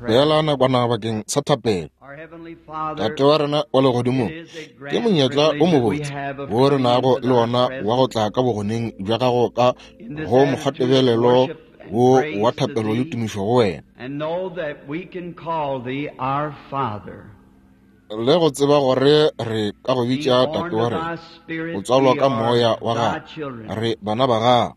Beela nakwana bakeng sa thapelo. Tate wa rena wa legodimong, ke monyetla o mobotse wo re nago le wona wa go tla ka bogoneng bja gago ka go mokgwatebelelo wo wa thapelo le tumišo go wena. Le go tseba gore re ka go bitša Tate wa rena, o tswalwa ka Moya wa Gago, re bana ba Gago.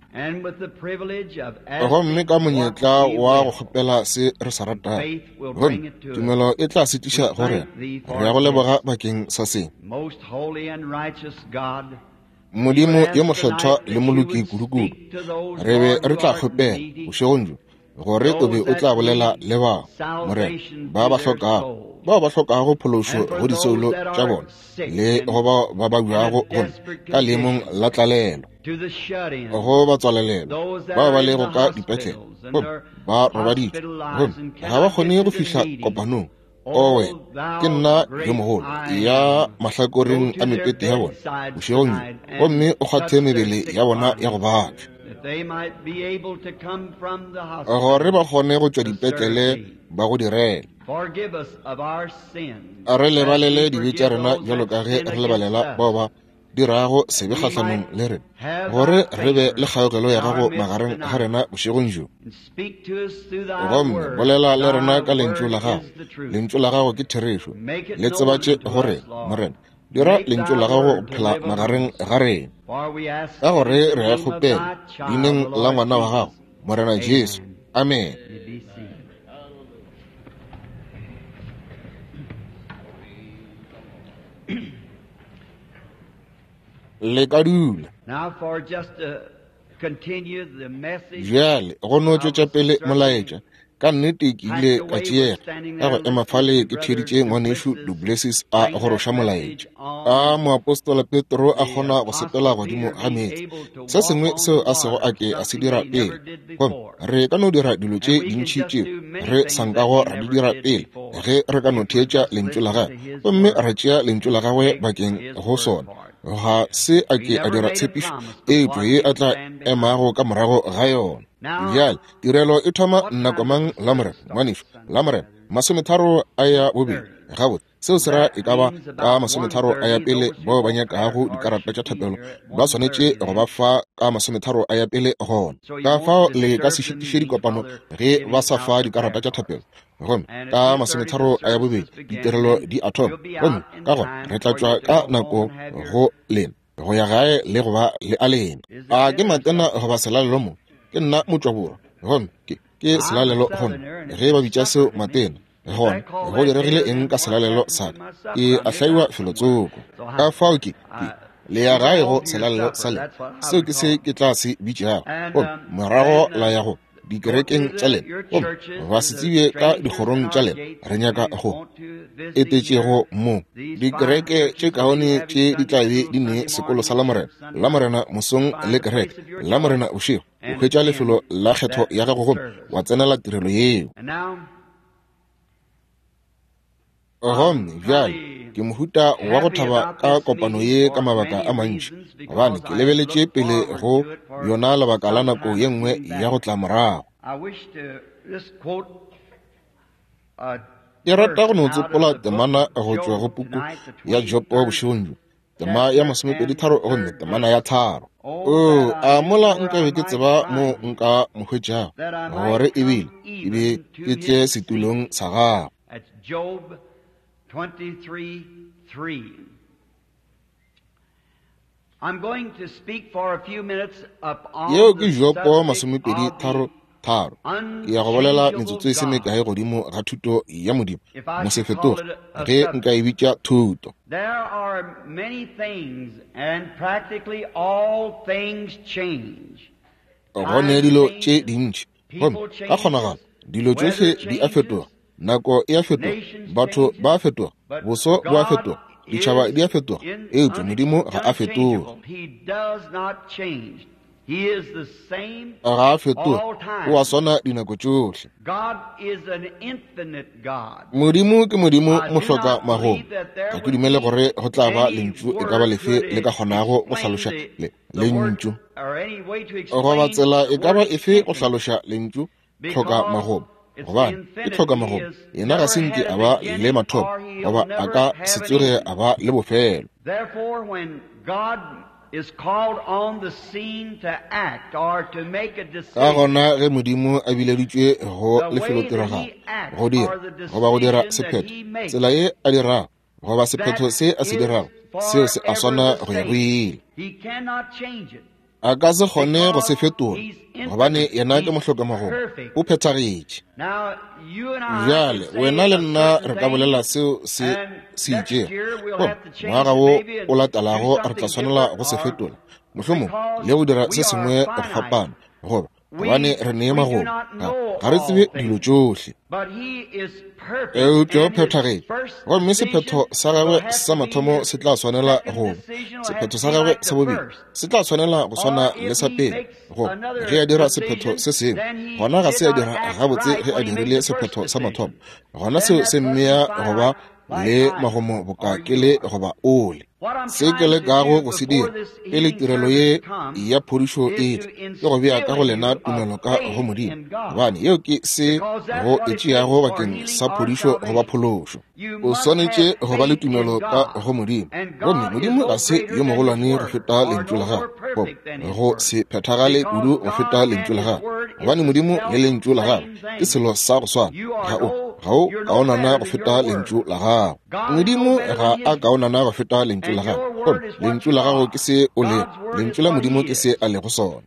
Gomme ka monyetla wa go kgopela se re se ratago, gomme tumelo e tla se tliša go rena. Re ya go leboga bakeng sa se. Modimo yo mokgethwa le moloki kudukudu, re be re tla kgopela bošegong bjo gore o be o tla bolela le bao, Morena, ba ba hlokago, bao ba hlokago phološo go disoulo tša bona, le go bao ba babjago gomme ka leemong la tlalelo, go ba tswalelelo, bao ba lego ka dipetlele gomme ba robaditšwe gomme ga ba kgone go fihla kopanong. Owe, ke nna yo mogolo ya mahlakoreng a mepete ya bona bošegong bjo, gomme o kgwathe mebele ya bona ya go babja, gore ba kgone go tšwa dipetlele ba go direla. Re lebalele dibe tša rena bjalo ka ge re lebalela bao ba dirago sebe kgahlanong le rena, gore re be le kgaogelo ya gago magareng ga rena bošegong bjo. Gomme bolela le rena ka lentšu la gago. Lentšu la gago ke therešo. Le tsebatše go rena, Morena. Dira lentšu la gago go phela magareng ga rena. Ka gore re a kgopela, leineng la ngwana wa gago, Morena Jesu. Amen. Le ka dula. Bjale go no tšwetša pele molaetša. Ka nnete ke ile ka tšeega ka go ema fale ke theeditše ngwanešu Duplessis a goroša molaetša. A moapostola Petro a kgona go sepela godimo ga meetse, se sengwe seo a sego a ke a se dira pele. Gomme re ka no dira dilo tše dintši tšeo re sa nkago ra di dira pele ge re ka no theetša lentšu la gagwe gomme ra tšea lentšu la gagwe bakeng go sona. Ga se a ke a dira tshepišo eupša ye a tla emago ka morago ga yona. Bjale tirelo e thoma nako mang Lamorena, ngwanešu? Lamorena, masometharo a ya bobedi. Gabotse, seo se ra e ka ba ka masometharo a ya pele. Bao ba nyakago dikarata tša thapelo ba swanetše go ba fa ka masometharo a ya pele gona. Ka fao le ka se šitiše dikopano ge ba sa fa dikarata tša thapelo. Gomme ka masometharo a ya bobedi ditirelo di a thoma, gomme ka gona re tla tšwa ka nako go lena go ya gae le go ba le a lena. A ke matena goba selalelo mo? Ke nna motšwaborwa, gomme ke ke selalelo go nna. Ge ba bitša seo matena, gona go diregile eng ka selalelo sa ka? Ke a hlaiwa felotsoko. Ka fao ke ke le ya gae go selalelo sa lena, seo ke se ke tla se bitšago, gomme morago la ya go dikerekeng tša lena gomme ba se tsebje ka dikgorong tša lena. Re nyaka go etetšego mo dikereke tše kaone tše di tla be di ne sekolo sa Lamorena, Lamorena mosong le kereke Lamorena bošego. O hwetša lefelo la kgetho ya gago gomme wa tsenela tirelo yeo. Gomme bjale ke mohuta wa go thaba ka kopano ye ka mabaka a mantši, gobane ke lebeletše pele go yona lebaka la nako ye nngwe ya go tla morago. Ke rata go no tsopola temana go tšwa go puku ya Jopo bošegong bjo, tema ya masomepeditharo gomme temana ya tharo. Oo, a mola nka be ke tseba mo nka mo hwetšago, gore ebile ke be ke tle setulong sa gago. Job 23:3. I'm going to speak for a few minutes upon Yeo ke the Jopo subject of masomepedi the tharo tharo. Ke ya go bolela metsotso e se mekae godimo ga thuto ya Modimo, If I should mosefetoge, call it a ge subject. nka e bitša thuto. There are many things, and practically all things change. Go ne dilo tše dintši, gomme ka kgonagalo dilo tšohle di a fetoga. Nako e a fetoga, batho ba a fetoga, boso bo a fetoga, ditšhaba di a fetoga, eupša Modimo ga a fetoge. Ga a fetoge, o a swana dinako tšohle. Modimo ke Modimo mohloka magomo. Ga ke dumele gore go tla ba lentšu e ka ba lefe le ka kgonago go hlaloša le lentšu, goba tsela e ka ba efe go hlaloša lentšu hloka magomo. Gobane ke tlhokamagomo, yena ga se nke a ba le mathomo, goba a ka se tsoge a ba le bofelo. Ka gona ge Modimo a bileditšwe go lefelotiragalo go dira goba go dira sephetho, tsela ye a dirago goba sephetho se a se dirago, seo se a swana go ya go ile. A ka se kgone go se fetola, gobane yena ke mohlokamagomo, o phethagetše. Bjale wena le nna re ka bolela seo se se itšego, gomme ngwaga wo o latelago re tla swanela go se fetola, mohlomong le go dira se sengwe go fapana, goba gobane re nee magomo, ga re tsebe dilo tšohle. Eupša o phethagetše, gomme sephetho sa gagwe sa mathomo se tla swanela go sephetho sa gagwe sa bobedi se tla swanela go swana le sa pele. Goba ge a dira sephetho se sengwe, gona ga se a dira gabotse ge a dirile sephetho sa mathomo, gona seo se mmea go ba le magomo boka ke le goba ole. Se ke lekago go se dira pele tirelo ye ya phodišo e tla, ke go bea ka go lena tumelo ka go Modimo, gobane yeo ke se go e tšeago bakeng sa phodišo goba phološo. O swanetše go ba le tumelo ka go Modimo, gomme Modimo ga se yo mogolwane go feta lentšu la gagwe, goba go se phethagale kudu go feta lentšu la gagwe, gobane Modimo le lentšu la gagwe ke selo sa go swana. Ga o kaonana go feta lentšu la gago. Modimo ga a kaonana go feta lentšu la gago, gomme lentšu la gago ke se o lego, lentšu la Modimo ke se a lego sona.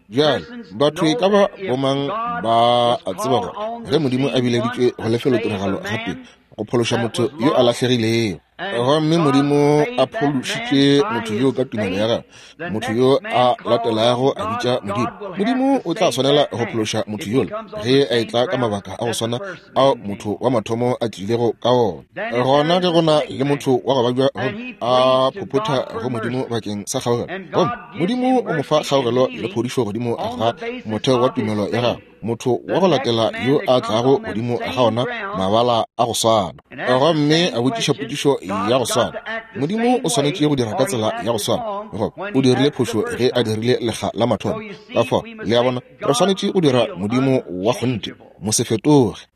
Bjale batho e ka ba bomang ba a tseba gore ge Modimo a bileditšwe go lefelotiragalo gape go phološa motho yo a lahlegilego, gomme Modimo a phološitše motho yo ka tumelo ya gagwe, motho yo a latelago a bitša Modimo, Modimo o tla swanela go phološa motho yola ge a etla ka mabaka a go swana ao motho wa mathomo a tlilego ka ona. Gona ge go na le motho wa go babja gomme a phophotha go Modimo bakeng sa kgaogelo, gomme Modimo o mo fa kgaogelo le phodišo godimo ga motheo wa tumelo ya gagwe, motho wa go latela yo a tlago godimo ga ona mabala a go swana gomme a botšiša potšišo ya go swana, Modimo o swanetše go dira ka tsela ya go swana, goba o dirile phošo ge a dirile lekga la mathomo. Ka fao, le a bona, re swanetše go dira Modimo wa kgonthe, mo se fetoge.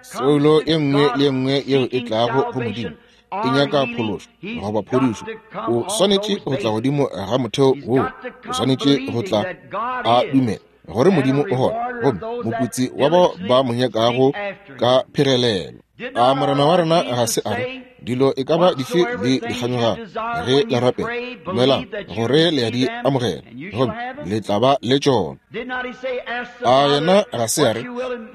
Soulo e nngwe le e nngwe yeo e tlago go Modimo e nyaka phološo goba phodišo, o swanetše go tla godimo ga motheo woo, o swanetše go tla a dumela gore Modimo o gona, gomme moputsi wa bao ba mo nyakago ka phegelelo. A Morena wa rena ga se a re dilo e ka ba dife le di kganyogago ge le rapela, dumelang gore le ya di amogela, gomme le tla ba le tšona? A yena ga se a re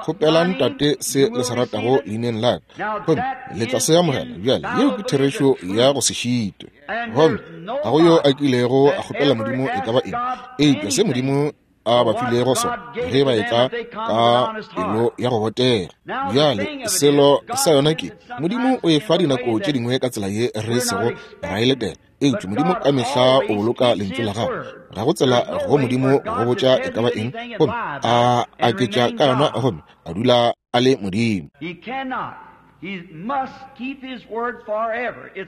kgopelang Tate se le se ratago leineng la ka, gomme le tla se amogela? Bjale yeo ke therešo ya go se šitwe, gomme ga go yo a kilego a kgopela Modimo e ka ba eng eupša se Modimo a ba filego sona ge ba etla ka pelo ya go botega. Bjale selo sa yona ke Modimo o e fa dinako tše dingwe ka tsela ye re sego ra e letela, eupša Modimo ka mehla o boloka lentšu la gagwe. Ga go tsela go Modimo go botša e ka ba eng gomme a aketša ka yona gomme a dula a le Modimo.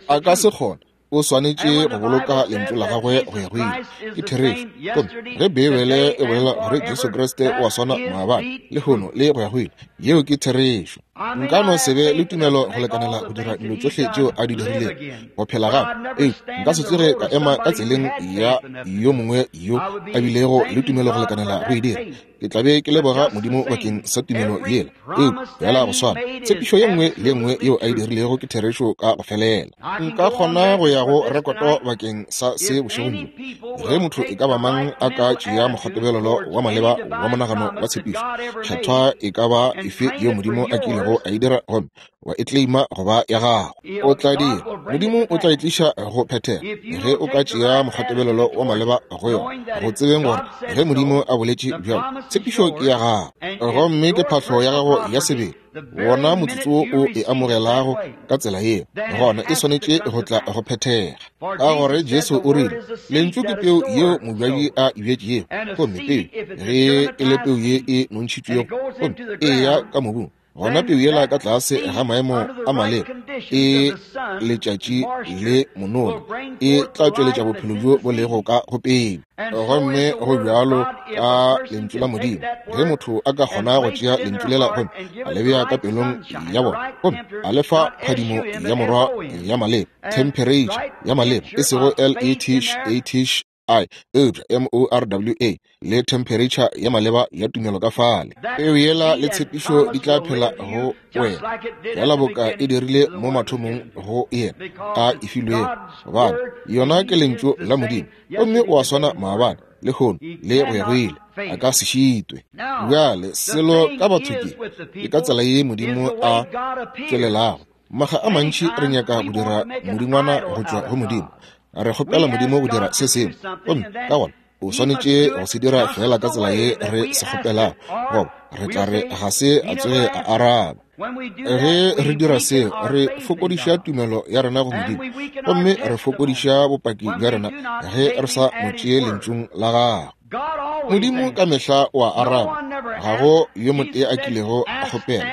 A ka se kgone, o swanetše go boloka lentšu la gagwe go ya go ile. Ke therešo. Gomme ge Beibele e bolela gore Jesu Kriste o a swana maabane, lehono le go ya go ile, yeo ke therešo. Nka no se be le tumelo go lekanela go dira dilo tšohle tšeo a di dirilego, go phela gape, eupša nka se tsoge ka ema ka tseleng ya yo mongwe yo a bilego le tumelo go lekanela go e dira. Ke tla be ke leboga Modimo bakeng sa tumelo yela, eupša fela go swana, tshepišo ye nngwe le ye nngwe yeo a e dirilego ke therešo ka go felela. Nka kgona go ya go rekoto bakeng sa se bošegong bjo. Ge motho e ka ba mang a ka tšea mokgwatebelelo wa maleba wa monagano wa tshepišo kgethwa e ka ba efe yeo Modimo a kilego a e dira gomme wa e kleima go ba ya gago, o tla dira, Modimo o tla e tliša go phethega ge o ka tšea mokgwatebelelo wa maleba go yona, go tsebeng gore ge Modimo a boletše bjalo, tshepišo ke ya gago gomme ke phahlo ya gago ya sebele. Wona motsotso wo o e amogelago ka tsela yeo, gona e swanetše go tla go phethega, ka gore Jesu o rile, Lentšu ke peu yeo mobjadi a e bjetšego, gomme peu ge e le peu ye e nontšhitšwego gomme e ya ka mobung. Gona peu yela ka tlase ga maemo a maleba e letšatši le monono e tla tšweletša bophelo bjo bo lego ka go peu. Gomme go bjalo ka lentšu la Modimo, ge motho a ka kgona go tšea lentšu lela gomme a le bea ka pelong ya bona gomme a le fa phadimo ya morwa ya maleba, themphereitšha ya maleba, e sego L-E-T-H-A-T-H I, eupša M-O-R-W-A, le themphereitšha ya maleba ya tumelo ka fale, peu yela le tshepišo di tla phela go wena feela boka e dirile mo mathomong go yena a e filwego, gobane yona ke lentšu la Modimo, gomme o a swana maabane, lehono, le go ya go ile. A ka se šitwe. Bjale selo ka batho ke, ke ka tsela ye Modimo a tšwelelago. Makga a mantši re nyaka go dira modingwana go tšwa go Modimo. Re kgopela Modimo go dira se sengwe, gomme ka gona o swanetše go se dira feela ka tsela ye re se kgopelago, goba re tla re ga se a tsoge a araba. Ge re dira seo, re fokodiša tumelo ya rena go Modimo, gomme re fokodiša bopaki bja rena ge re sa mo tšee lentšung la gagwe. Modimo ka mehla o a araba, ga go yo motee a kilego a kgopela.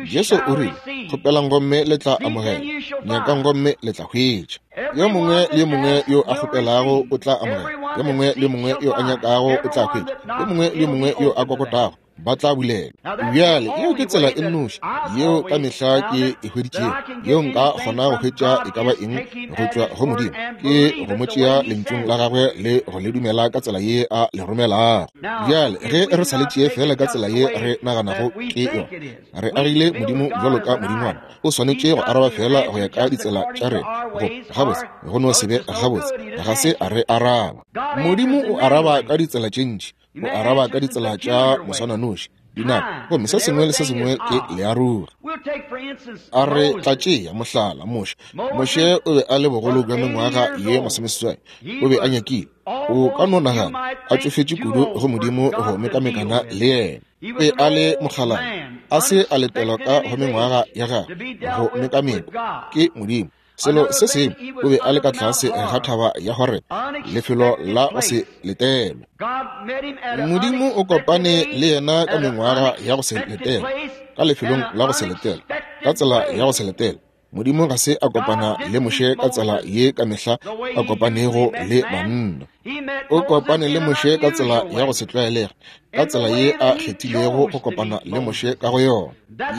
Jesu o rile, Kgopelang gomme le tla amogela, nyakang gomme le tla hwetša. Yo mongwe le yo mongwe yo a kgopelago o tla amogela, yo mongwe le yo mongwe yo a nyakago o tla hwetša, yo mongwe le yo mongwe yo a kokotago ba tla bulelwa. Bjale, yeo ke tsela e nnoši yeo ka mehla ke e hweditšego, yeo nka kgona go hwetša e ka ba eng go tšwa go Modimo, ke go mo tšea lentšung la gagwe le go le dumela ka tsela ye a le romelago. Bjale, ge re sa le tšee feela ka tsela ye re naganago ke yona, re agile Modimo bjalo ka modingwana. O swanetše go araba feela go ya ka ditsela tša rena. Go gabotse, go no se be gabotse, ga se a re araba. Modimo o araba ka ditsela tše ntši. O araba ka ditsela tša moswananoši, dinako, gomme se sengwe le se sengwe ke learogi. A re tla tšea mohlala Moshe. Moshe o be a le bogolo bja mengwaga ye masomeseswai. O be a nyakile, o ka no nagana, a tšofetše kudu go Modimo go mekamekana le yena. O be a le mokgalana, a se a letelwa ka go mengwaga ya gagwe go mekamekwa ke Modimo. Selo se sengwe, o be a le ka tlase ga thaba ya Horebe, lefelo la go se letelwe. Modimo o kopane le yena ka mengwaga ya go se letelwe, ka lefelong la go se letelwe, ka tsela ya go se letelwe. Modimo ga se a kopana le Moshe ka tsela ye ka mehla a kopanego le banna. O kopane le Moshe ka tsela ya go se tlwaelege, ka tsela ye a kgethilego go kopana le Moshe ka go yona.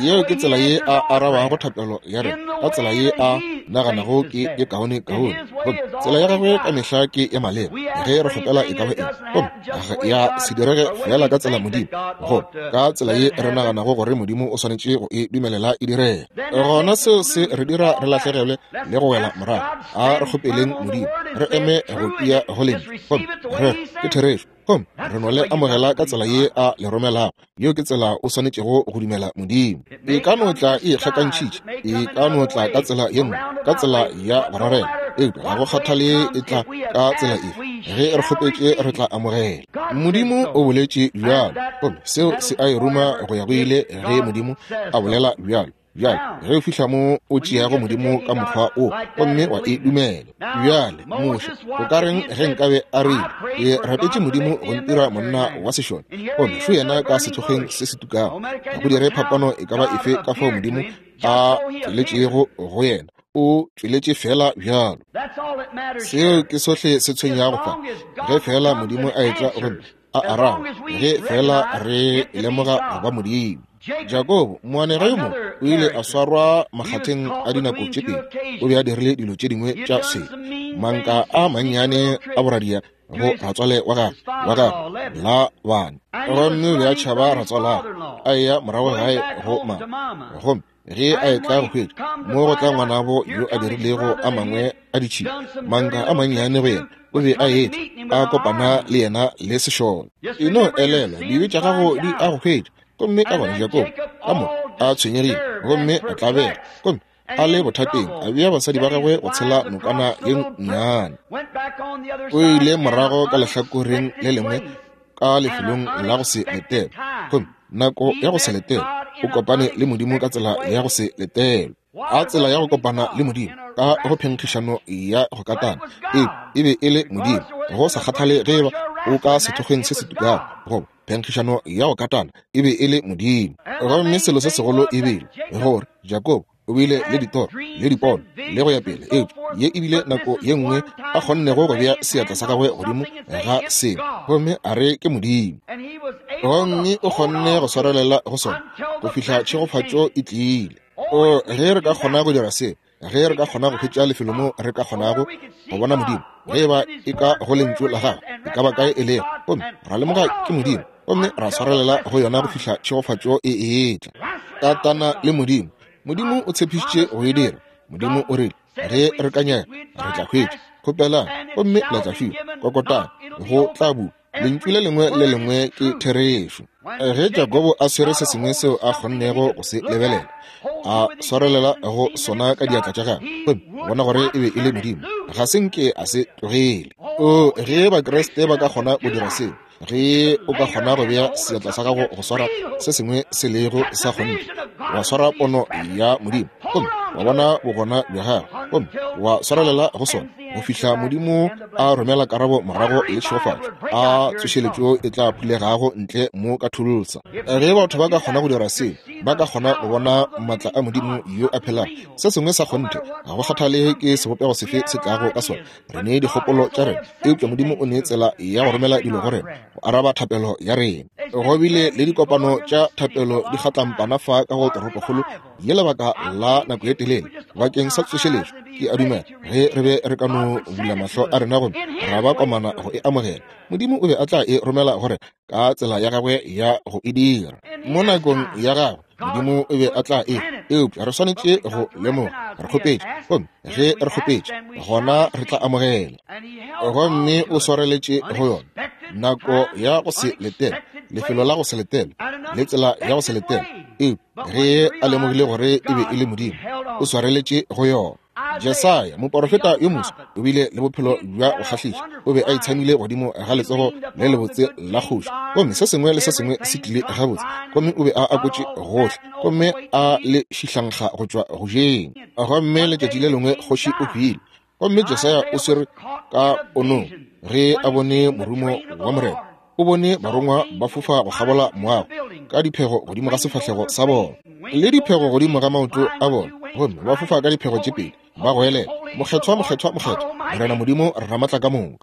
Yeo ke tsela ye a arabago thapelo ya rena, ka tsela ye a naganago ke ye kaone kaone. Gomme tsela ya gagwe ka mehla ke ya maleba ge re kgopela e ka ba eng, gomme ya se direge feela ka tsela Modimo, goba ka tsela ye re naganago gore Modimo o swanetše go e dumelela e direge. Gona seo se re dira re lahlegelwe le go wela morago. A re kgopeleng Modimo, re eme go tia go lentšu, gomme re ke therešo, gomme re no le amogela ka tsela ye a le romelago. Yeo ke tsela o swanetšego go dumela Modimo. E ka no tla e ikgakantšhitše, e ka no tla ka tsela ye nngwe, ka tsela ya go rarela, eupša ga go kgathale e tla ka tsela efe, ge re kgopetše re tla amogela. Modimo o boletše bjalo, gomme seo se a e ruma go ya go ile ge Modimo a bolela bjalo. Bjale, ge o fihla mo o tšeago Modimo ka mokgwa wo gomme wa e dumela. Bjale, Moshe, o ka reng ge nkabe a rile, Ke rapetše Modimo go ntira monna wa sešole, gomme šo yena ka sethokgweng se se tukago. Ga go dire phapano e ka ba efe ka fao Modimo a tšweletšego go yena, o tšweletše feela bjalo. Seo ke sohle se tshwenyago fa, ge feela Modimo a etla gomme a araba, ge feela re lemoga go ba Modimo. Jakobo, moanega yo mongwe, o ile a swarwa makgatheng a dinako tše pedi. O be a dirile dilo tše dingwe tša sebe, manka a mannyane a boradia go ratswale wa gagwe wa gagwe Labane, gomme o be a tšhaba ratswalagwe, a eya morago gae go mama. Gomme ge a etla go hwetša mo go tla ngwanabo yo a dirilego a mangwe a ditšhila, manka a mannyane go yena, o be a etla a kopana le yena le sešole. E no elelwa, dibe tša gago di a go hwetša. Gomme ka gona Jakobo ka moka a tshwenyegile gomme a tlabega, gomme a le bothateng, a bea basadi ba gagwe go tshela nokana ye nnyane. O ile morago ka lehlakoreng le lengwe ka lefelong la go se letelwe, gomme nako ya go se letelwe o kopane le Modimo ka tsela ya go se letelwe. A tsela ya go kopana le Modimo ka go phenkgišano ya go katana, e be e le Modimo, go sa kgathale ge eba o ka sethokgweng se se tukago goba. Phenkgišano ya go katana e be e le Modimo. Gomme selo se segolo e bile gore Jakobo o bile le ditoro le dipono le go ya pele, eupša ye e bile nako ye nngwe a kgonnego go bea seatla sa gagwe godimo ga sengwe gomme a re ke Modimo. Gomme o kgonne go swarelela go sona go fihla tšhegofatšo e tlile. O, ge re ka kgona go dira se, ge re ka kgona go hwetša lefelo mo re ka kgonago go bona Modimo, ge e ba e ka go lentšu la gagwe, e ka ba kae e lego, gomme ra lemoga ke Modimo, gomme ra swarelela go yona go fihla tšhegofatšo e etla. Katana le Modimo. Modimo o tshepišitše go e dira. Modimo o rile, ge re ka nyaka, re tla hwetša. Kgopelang, gomme le tla fiwa. Kokotang, go tla bulwa. Lentšu le lengwe le lengwe ke therešo. Ge Jakobo a swere se sengwe seo a kgonnego go se lebelela, a swarelela go sona ka diatla tša gagwe, gomme bona gore e be e le Modimo, ga se nke a se tlogele. O, ge Bakriste ba ka kgona go dira seo, ge o ka kgona go bea seatla sa gago go swara se sengwe se lego sa kgonthe, wa swara pono ya Modimo, gomme wa bona bogona bja gagwe, gomme wa swarelela go sona go fihla Modimo a romela karabo morago le tšhegofatšo, a tsošeletšo e tla phulegago ntle mo ka Tulsa. Ge batho ba ka kgona go dira seo, ba ka kgona go bona maatla a Modimo yo a phelago, se sengwe sa kgonthe, ga go kgathale ke sebopego sefe se tlago ka sona. Re ne dikgopolo tša rena, eupša Modimo o ne tsela ya go romela dilo go rena, go araba thapelo ya rena. Go bile le dikopano tša thapelo di kgatlampana fa ka go toropokgolo ye lebaka la nako ye telele bakeng sa tsošeletšo. Ke a dumela ge re be re ka no bula mahlo a rena gomme ra ba komana go e amogela, Modimo o be a tla e romela go rena ka tsela ya gagwe ya go e dira mo nakong ya gagwe. Modimo o be a tla e, eupša re swanetše go lemoga re kgopetše, gomme ge re kgopetše gona re tla amogela. Gomme o swareletše go yona nako ya go se letele, lefelo la go se letele, le tsela ya go se letele, eupša ge a lemogile gore e be e le Modimo, o swareletše go yona. Jesaya, moporofeta yo moswa, o bile le bophelo bja go kgahliša. O be a itshamile godimo ga letsogo le lebotse la kgoši, gomme se sengwe le se sengwe se tlile gabotse, gomme o be a akotše gohle, gomme a le šihlankga go tšwa go jeng. Gomme letšatši le lengwe kgoši o hwile, gomme Jesaya o swere ka ponong ge a bone morumo wa Morena. O bone barongwa ba fofa go kgabola moago ka diphego godimo ga sefahlego sa bona le diphego godimo ga maoto a bona, gomme ba fofa ka diphego tše pedi, ba goelela, Mokgethwa, mokgethwa, mokgethwa, Morena Modimo Ramatla ka moka.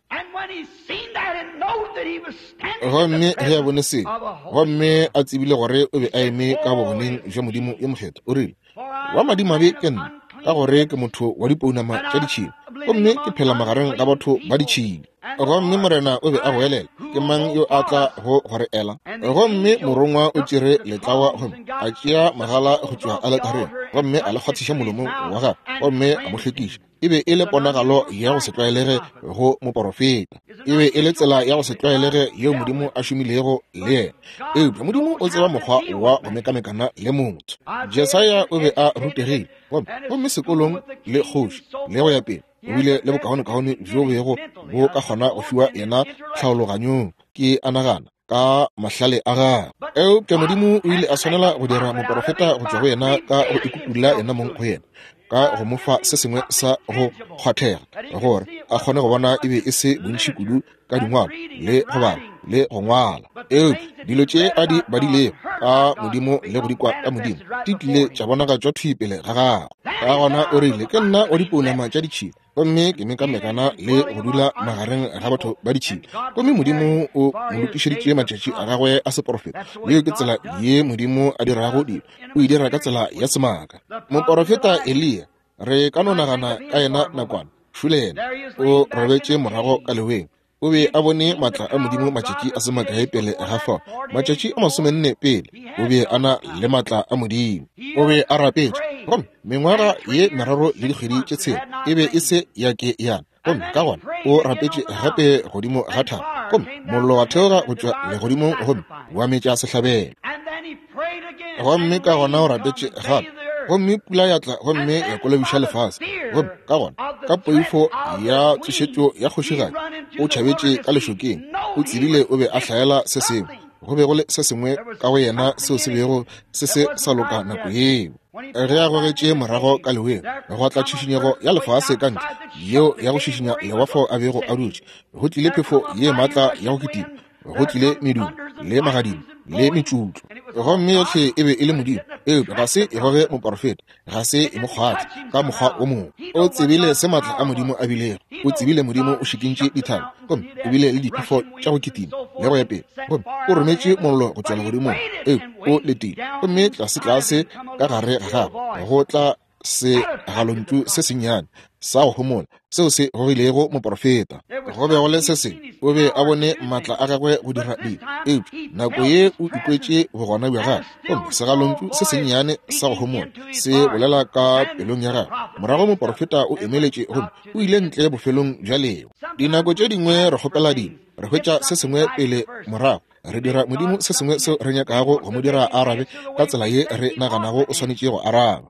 Gomme ge a bone seo, gomme a tsebile gore o be a eme ka bogoneng bja Modimo yo mokgethwa, o rile, Wa madimabe ke nna, ka gore ke motho wa dipounama tša ditšhila, gomme ke phela magareng ga batho ba ditšhila. Gomme Morena o be a goelela, Ke mang yo a tla go gore ela? Gomme morongwa o tšere letlawa gomme a tšea magala go tšwa aletareng, gomme a le kgwathiša molomong wa gagwe, gomme a mo hlwekiša. E be e le ponagalo ya go se tlwaelege go moporofeta. E be e le tsela ya go se tlwaelege yeo Modimo a šomilego le yena. Eupša Modimo o tseba mokgwa wa go mekamekana le motho. Jesaya o be a rutegile, gomme sekolong le kgoši le go ya pele, o bile le bokaonekaone bjo bego bo ka kgona go fiwa yena tlhaologanyong, ke a nagana, ka mahlale a gagwe. Eupša Modimo o ile a swanela go dira moporofeta go tšwa go yena ka go ikutulla yena mong go yena, ka go mo fa se sengwe sa go kgwathega gore a kgone go bona e be e se bontši kudu ka dingwalo le go bala le go ngwala. Eupša dilo tše a di badilego ka Modimo le go di kwa ka Modimo di tlile tša bonagatšwa thwi pele ga gagwe. Ka gona o rile, Ke nna wa dipounama tša ditšhila, gomme ke mekamekana le go dula magareng ga batho ba ditšhila. Gomme Modimo o mo lokišeditše matšatši a gagwe a seporofeta. Yeo ke tsela ye Modimo a dirago dilo, o e dira ka tsela ya semaka. Moporofeta Eliya, re ka no nagana ka yena nakwana, šole yena o robetše morago ka leweng. O be a bone maatla a Modimo matšatši a se makae pele ga fao, matšatši a 40 pele, o be a na le maatla a Modimo. O be a rapetše, gomme mengwaga ye 3 le dikgwedi tše 6 e be e se ya ke yana. Gomme ka gona o rapetše gape godimo ga thaba, gomme mollo wa theoga go tšwa legodimong gomme wa metša sehlabelo. Gomme ka gona o rapetše gape, gomme pula ya tla gomme ya kolobiša lefase. Gomme ka gona ka poifo ya tsošetšo ya kgošigadi o tšhabetše ka lešokeng. O tsebile o be a hlaela se sengwe, go be go le se sengwe ka go yena seo se bego se se sa loka nako yeo. Ge a gogetše morago ka leweng, gwa tla tšhišinyego ya lefase ka ntle, yeo ya go šišinya lewa fao a bego a dutše. Go tlile phefo ye maatla ya go kitima. Go tlile medumo le magadimo le metšutlo, gomme yohle e be e le Modimo, eupša ga se e goge moporofeta, ga se e mo kgwathe ka mokgwa o mongwe. O tsebile se maatla a Modimo a bilego. O tsebile Modimo o šikintše dithaba, gomme o bile le diphefo tša go kitima le go ya pele, gomme o rometše mollo go tšwa legodimong, eupša o letile, gomme tlasetlase ka gare ga gagwe go tla segalontšu se sennyane sa go homola seo se gogilego moporofeta. Go be go le se sengwe, o be a bone maatla a gagwe go dira dilo, eupša nako ye o ikwetše bogona bja gagwe, gomme segalontšu se sennyane sa go homola se bolela ka pelong ya gagwe. Morago moporofeta o emeletše gomme o ile ntle bofelong bja leo. Dinako tše dingwe re kgopela dilo, re hwetša se sengwe pele, morago re dira Modimo se sengwe seo re nyakago go mo dira a arabe ka tsela ye re naganago o swanetše go araba.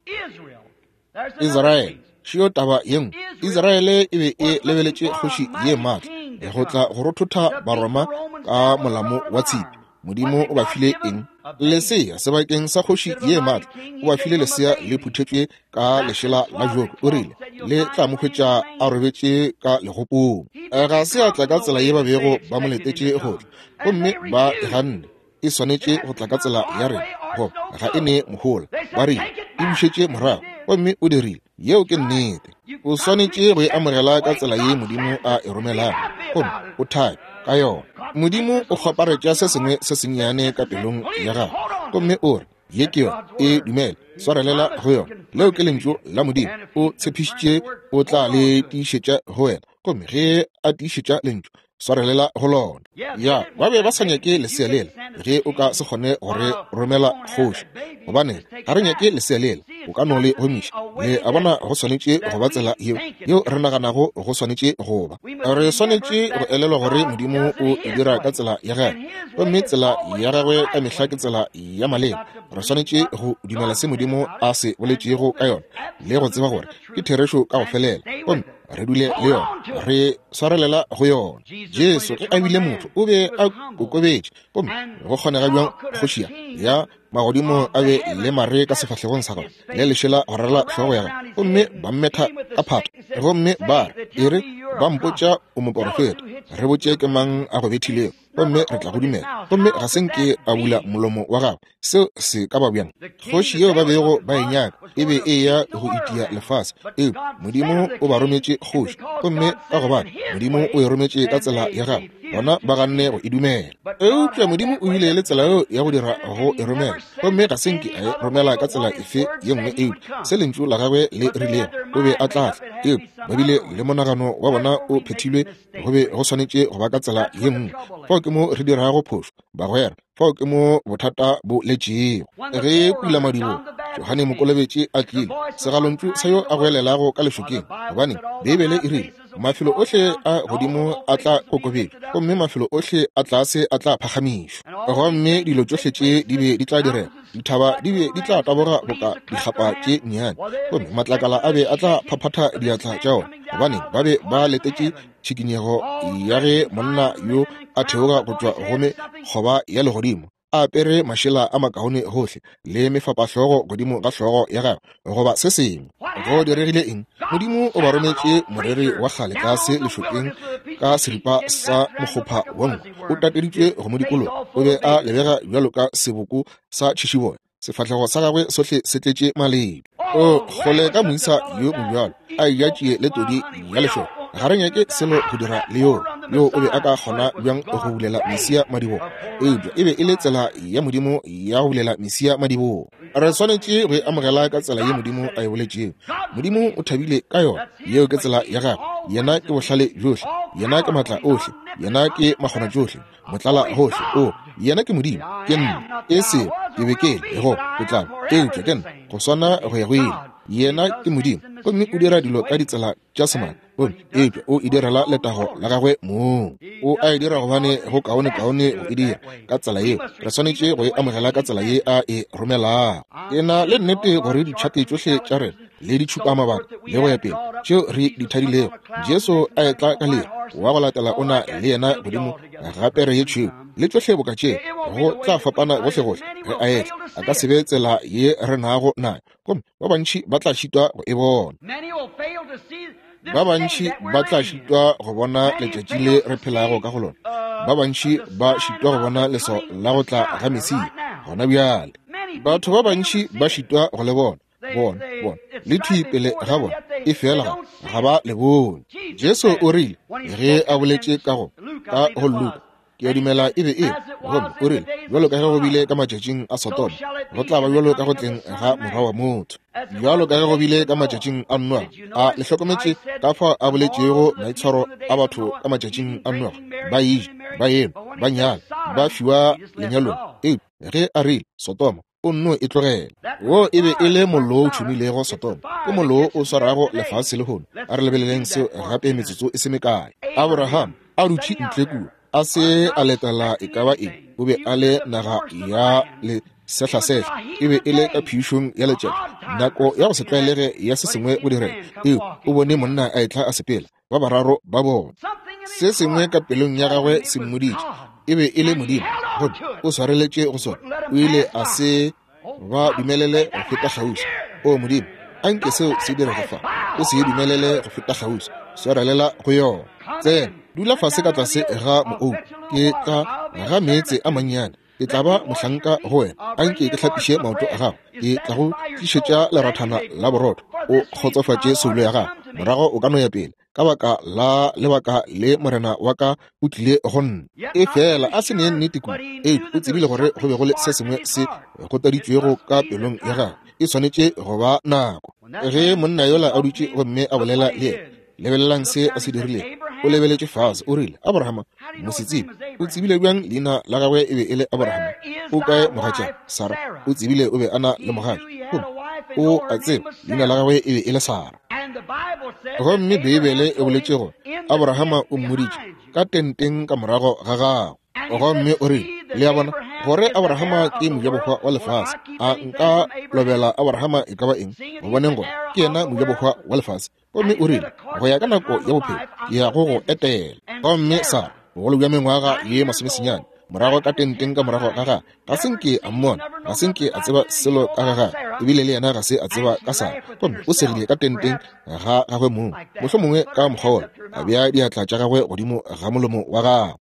Israele, šio taba ye nngwe. Israele e be e lebeletše kgoši ye maatla go tla go rothotha Baroma ka molamo wa tshipi. Modimo o ba file eng? Lesea sebakeng sa kgoši ye maatla. O ba file lesea le phuthetšwe ka lešela la joko. O rile le tla mo hwetša a robetše ka legopong. Ga se a tla ka tsela ye ba bego ba mo letetše go tla, gomme ba e ganne. E swanetše go tla ka tsela ya rena, goba ga e ne mohola. Ba rile e bušetše morago, gomme o dirile. Yeo ke nnete. O swanetše go e amogela ka tsela ye Modimo a e romelago, gomme o thabe ka yona. Modimo o kgwaparetša se sengwe se sennyane ka pelong ya gago, gomme o re, Ye ke yona, e dumele, swarelela go yona. Leo ke lentšu la Modimo. O tshepišitše o tla le tiišetša go wena, gomme ge a tiišetša lentšu, swarelela go lona. Ya, ba be ba sa nyake lesea lela. Ge o ka se kgone go re romela kgoši, gobane ga re nyake lesea lela, o ka no le gomiša. Le a bona, go swanetše go ba tsela yeo, yeo re naganago go swanetše go ba. Re swanetše go elelwa gore Modimo o e dira ka tsela ya gagwe, gomme tsela ya gagwe ka mehla ke tsela ya maleba. Re swanetše go dumela se Modimo a se boletšego ka yona le go tseba gore ke therešo ka go felela, gomme re dule le yona, re swarelela go yona. Jesu ge a bile motho o be a kokobetše, gomme go kgonega bjang kgoši ya magodimo a be le mare ka sefahlegong sa gagwe le lešela go rala hlogo ya gagwe, gomme ba mmetha ka phato, gomme ba re, E re, ba mpotša o moporofeta, re botše ke mang a go bethilego, gomme re tla go dumela. Gomme ga se nke a bula molomo wa gagwe. Seo se ka ba bjang? Kgoši yeo ba bego ba e nyaka e be e ya go itia lefase, eupša Modimo o ba rometše kgoši, gomme ka gobane Modimo o e rometše ka tsela ya gagwe, bona ba ganne go e dumela. Eupša Modimo o bile le tsela yeo ya go dira go e romela, gomme ga se nke a e romela ka tsela efe ye nngwe eupša se lentšu la gagwe le rilego o be a tla tla. Eupša ba bile le monagano wa bona o phethilwe, go be go swanetše go ba ka tsela ye nngwe. Fao ke mo re dirago phošo, bagwera. Fao ke mo bothata bo letšego. Ge pulamadibogo Johane Mokolobetši a tlile, segalontšu sa yo a goelelago ka lešokeng, gobane Beibele e rile, mafelo ohle a godimo a tla kokobetšwa, gomme mafelo ohle a tlase a tla phagamišwa. Gomme dilo tšohle tše di be di tla direga, dithaba di be di tla taboga boka dikgapa tše nnyane, gomme matlakala a be a tla phaphatha diatla tša ona, gobane ba be ba letetše tšhikinyego ya ge monna yo a theoga go tšwa go mekgoba ya legodimo a apere mašela a makaone gohle le mefapahlogo godimo ga hlogo ya gagwe goba se sengwe. Go diregile eng? Modimo o ba rometše moreri wa kgale tlase lešokeng ka seripa sa mokgopha wa nku, o tateditšwe go mo dikologa. O be a lebega bjalo ka seboko sa tšhišiboya, sefahlego sa gagwe sohle se tletše maledu. O kgole ka moisa yo mobjalo a eja tšie le todi ya lešoka. Ga re nyake selo go dira le yoo. Yo o be a ka kgona bjang go bulela Mesia madibogo? Eupša e be e le tsela ya Modimo ya go bulela Mesia madibogo. Re swanetše go e amogela ka tsela ye Modimo a e boletšego. Modimo o thabile ka yona. Yeo ke tsela ya gagwe. Yena ke bohlale bjohle. Yena ke maatla ohle. Yena ke makgonatšohle. Motlala gohle. O, yena ke Modimo. Ke nna. E sego ke be ke le, go ke tla, eupša ke nna, go swana go ya go ile. Yena ke Modimo, gomme o dira dilo ka ditsela tša semaka, gomme eupša o e direla letago la gagwe mong. O a e dira gobane go kaonekaone go e dira ka tsela yeo. Re swanetše go e amogela ka tsela ye a e romelago. Ke na le nnete gore ditšhate tšohle tša rena le ditšhupamabaka le go ya pele tšeo re di thadilego, Jesu a etla ka lere wa go latela o na le yena godimo ga pere ye tšhweu le tšohle boka tše, go tla fapana gohlegohle ge a etla. A ka se be tsela ye re nago nayo, gomme ba bantši ba tla šitwa go e bona. Ba bantši ba tla šitwa go bona letšatši le re phelago ka go lona. Ba bantši ba šitwa go bona leswao la go tla ga Mesia gona bjale. Batho ba bantši ba šitwa go le bona, bona, bona, le thwi pele ga bona, efela ga, ga ba le bone. Jesu o rile, ge a boletše ka go, ka go Luka, ke a dumela e be e gomme o rile, bjalo ka ge go bile ka matšatšing a Sodoma, go tla ba bjalo ka go tleng ga Morwa wa motho. Bjalo ka ge go bile ka matšatšing a Noa. A le hlokometše ka fao a boletšego maitshwaro a batho ka matšatšing a Noa? Ba eja, ba enwa, ba nyala, ba fiwa lenyalong. Eupša ge a rile Sodoma, o nno e tlogela. Wo e be e le mollo o tšhumilego Sodoma, ke mollo wo o swarago lefase lehono. A re lebeleleng seo gape metsotso e se mekae. Abraham a dutše ntle kua, a se a letela e ka ba eng, o be a le naga ya lesehlasehla, e be e le ka phišong ya letšatši, nako ya go se tlwaelege ya se sengwe go direga. Eo o bone monna a etla a sepela, ba bararo ba bona. Se sengwe ka pelong ya gagwe se mmoditše e be e le Modimo, gomme o swareletše go sona. O ile a se ba dumelele go feta kgauswi. O Modimo, a nke seo se direge fa. O se dumelele go feta kgauswi. Swarelela go yona. Tsena, dula fase ka tlase ga moou. Ke tla ga meetse a mannyane. Ke tla ba mohlanka go wena. A nke ke hlapiše maoto a gago. Ke tla go tlišetša lerathana la borotho. O kgotsofatše soulo ya gago. Morago o ka no ya pele. Ka baka la lebaka le morena wa ka o tlile go nna. Efela a se nee nnete kudu, eupša o tsebile gore go be go le se sengwe se gotaditšwego ka pelong ya gagwe. E swanetše go ba nako. Ge monna yola a dutše gomme a bolela le yena, lebelelang se a se dirilego. O lebeletše fase, o rile, Abrahama, mosetsebje, o tsebile bjang leina la gagwe e be e le Abrahama? O kae mogatša Sara? O tsebile o be a na le mogatša, gomme o a tseba leina la gagwe e be e le Sara. Gomme Beibele e boletše gore Abrahama o mmoditše ka tenteng ka morago ga gagwe. Gomme o rile, le a bona, gore Abrahama ke mojabohwa wa lefase. A nka lobela Abrahama e ka ba eng, gobaneng gore ke yena mojabohwa wa lefase. Gomme o rile, go ya ka nako ya bophelo, ke ya go go etela. Gomme Sara, bogolo bja mengwaga ye masomesenyane, morago ka tenteng ka morago ga gagwe, ga se nke a mmona, ga se nke a tseba selo ka ga gagwe, ebile le yena ga se a tseba ka Sara. Gomme o segile ka tenteng ga gagwe mong, mohlomongwe ka mokgwa wola, a bea diatla tša gagwe godimo ga molomo wa gagwe.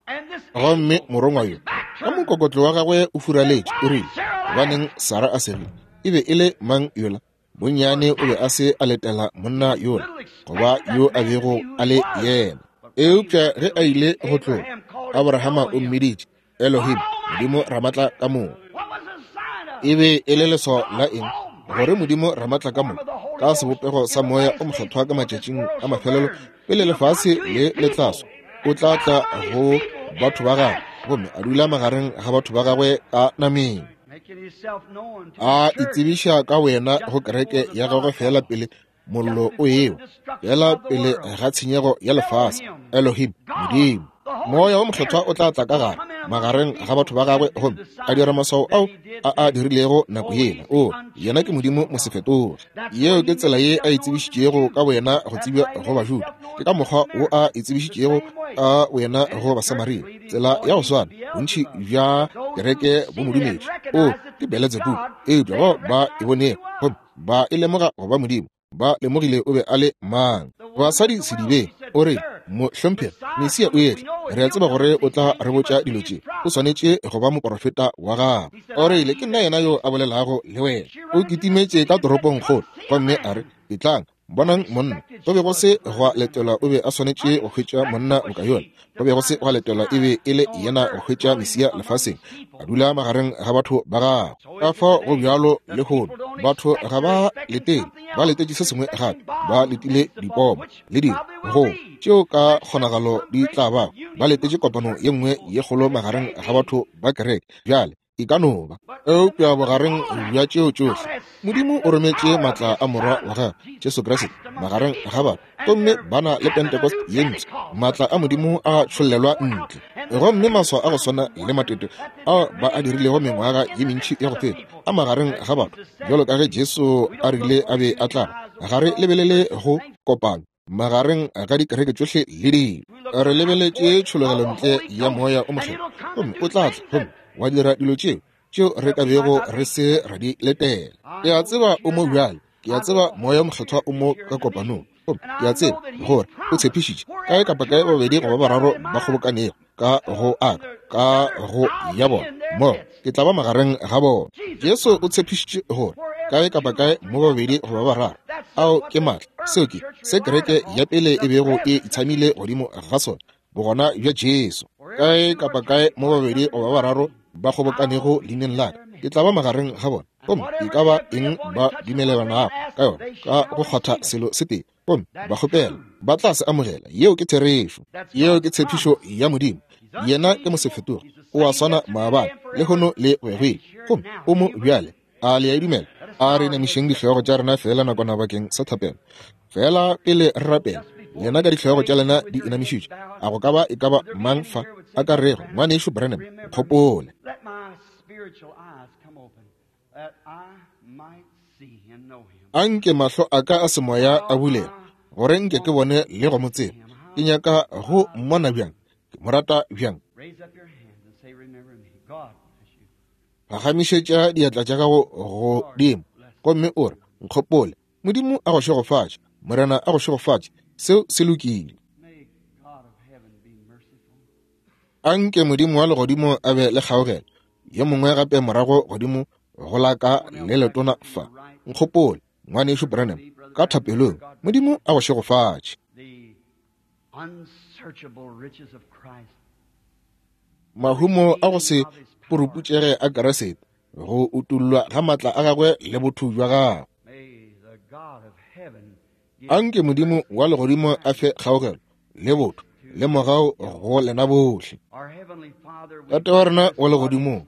Gomme morongwa yo, ka mokokotlo wa gagwe o furaletše, o rile, Gobaneng Sara a segile? E be e le mang yola? Bonnyane o be a se a letela monna yola goba yo a bego a le yena. Eupša ge a ile go tloga, Abrahama o mmiditše Elohim, Modimo Ramatla ka moka. E be e le leswao la eng? Gore Modimo Ramatla ka moka, ka sebopego sa Moya o Mokgethwa ka matšatšing a mafelelo pele lefase le le tlaswa, o tla tla go batho ba gagwe gomme a dula magareng ga batho ba gagwe ka nameng, a itsebiša ka wena go kereke ya gagwe feela pele mollo o ewa, feela pele ga tshenyego ya lefase. Elohim, Modimo, Moya wo Mokgethwa o tla tla ka gare magareng ga batho ba gagwe gomme a dira maswao ao a a dirilego nako yela. O, yena ke Modimo mosefetoge. Yeo ke tsela ye a itsebišitšego ka boyena go tsebja go Bajuda. Ke ka mokgwa wo a itsebišitšego ka boyena go Basamaria. Tsela ya go swana, bontši bja kereke bo mo dumetše. O, ke Beletsebubu. Eupša bao ba e bonego gomme ba e lemoga go ba Modimo, ba lemogile o be a le mang. Basadi sedibeng, o re, Mohlomphegi, Mesia o etla. Re a tseba gore o tla re botša dilo tše. O swanetše go ba moporofeta wa gago. O rile, Ke nna yena yo a bolelago le wena. O kitimetše ka toropongkgolo gomme a re, Etlang, bonang monna. Go be go se gwa letelwa o be a swanetše go hwetša monna boka yola. Go be go se gwa letelwa e be e le yena go hwetša Mesia lefaseng, a dula magareng ga batho ba gagwe. Ka fao go bjalo lehono, batho ga ba letele, ba letetše se sengwe gape, ba letile dipomo le dilo go tšeo ka kgonagalo di tla bago, ba letetše kopano ye nngwe ye kgolo magareng ga batho ba kereke. Bjale e ka no ba, eupša bogareng bja tšeo tšohle, Modimo o rometše maatla a Morwa wa gagwe, Jesu Kriste, magareng ga batho, gomme ba na le Pentecost ye mpsha. Maatla a Modimo a tšhollelwa ntle, gomme maswao a go swana le matete ao ba a dirilego mengwaga ye mentši ya go feta a magareng ga batho, bjalo ka ge Jesu a rile a be a tla ba. Ga re lebelele go kopano magareng ga dikereke tšohle le dilo. Re lebeletše tšhologelontle ya Moya o Mokgethwa, gomme o tla tla gomme wa dira dilo tšeo tšeo re ka bego re se ra di letela. Ke a tseba o mo bjale. Ke a tseba Moya o Mokgethwa o mo ka kopanong. Gomme ke a tseba gore O tshepišitše, kae kapa kae babedi goba bararo ba kgobokanego ka go a ka go ya bona, mo ke tla ba magareng ga bona. Jesu o tshepišitše gore kae kapa kae mo babedi goba bararo, ao ke maatla. Seo ke se kereke ya pele e bego e itshamile godimo ga sona, bogona bja Jesu. Kae kapa kae mo babedi goba bararo ba kgobokanego leineng la ka, ke tla ba magareng ga bona. Gomme e ka ba eng ba dumelelanago ka yona ka go kgwatha selo se tee, gomme ba kgopela, ba tla se amogela. Yeo ke therešo. Yeo ke tshepišo ya Modimo. Yena ke mosefetoge, o a swana maabane, lehono le go ya go ile. Gomme o mo bjale. A le a e dumela? A re inamišeng dihlogo tša rena feela nakwana bakeng sa thapelo. Feela pele re rapela, lena ka dihlogo tša lena di inamišitšwe, a go ka ba e ka ba mang fa a ka rego, Ngwanešu Branham, nkgopole. A nke mahlo a ka a semoya a bulege, gore nke ke bone le go mo tseba. Ke nyaka go mmona bjang, ke mo rata bjang. Phagamišetša diatla tša gago godimo gomme o re, Nkgopole. Modimo a go šegofatše. Morena a go šegofatše. Seo se lokile. A nke Modimo wa legodimo a be le kgaogelo. Yo mongwe gape morago godimo go la ka le letona fa. Nkgopole, Ngwanešu Branham, ka thapelong. Modimo a go šegofatše. Mahumo a go se puruputšege a Keresete, go utollwa ga maatla a gagwe le botho bja gagwe. Anke Modimo wa legodimo a fe kgaogelo le botho le mogau go lena bohle. Tate wa rena wa legodimong,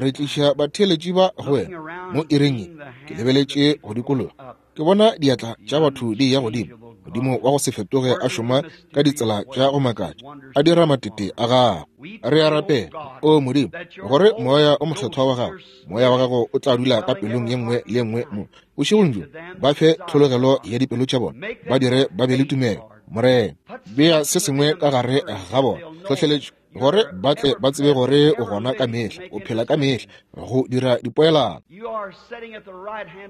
re tliša batheeletši ba go wena mo iring ye. Ke lebeletše go dikologa, ke bona diatla tša batho di ya godimo. Modimo wa go se fetoge a šoma ka ditsela tša go makatša, a dira matete a gagwe. Re a rapela, o Modimo, gore Moya o Mokgethwa wa gago, Moya wa gago o tla dula ka pelong ye nngwe le ye nngwe mo bošegong bjo. Ba fe tlhologelo ya dipelo tša bona, ba dire ba be le tumelo. Morena, bea se sengwe ka gare ga bona, tlhohleletšo, gore ba tle ba tsebe gore o gona ka mehla, o phela ka mehla go dira dipoelano.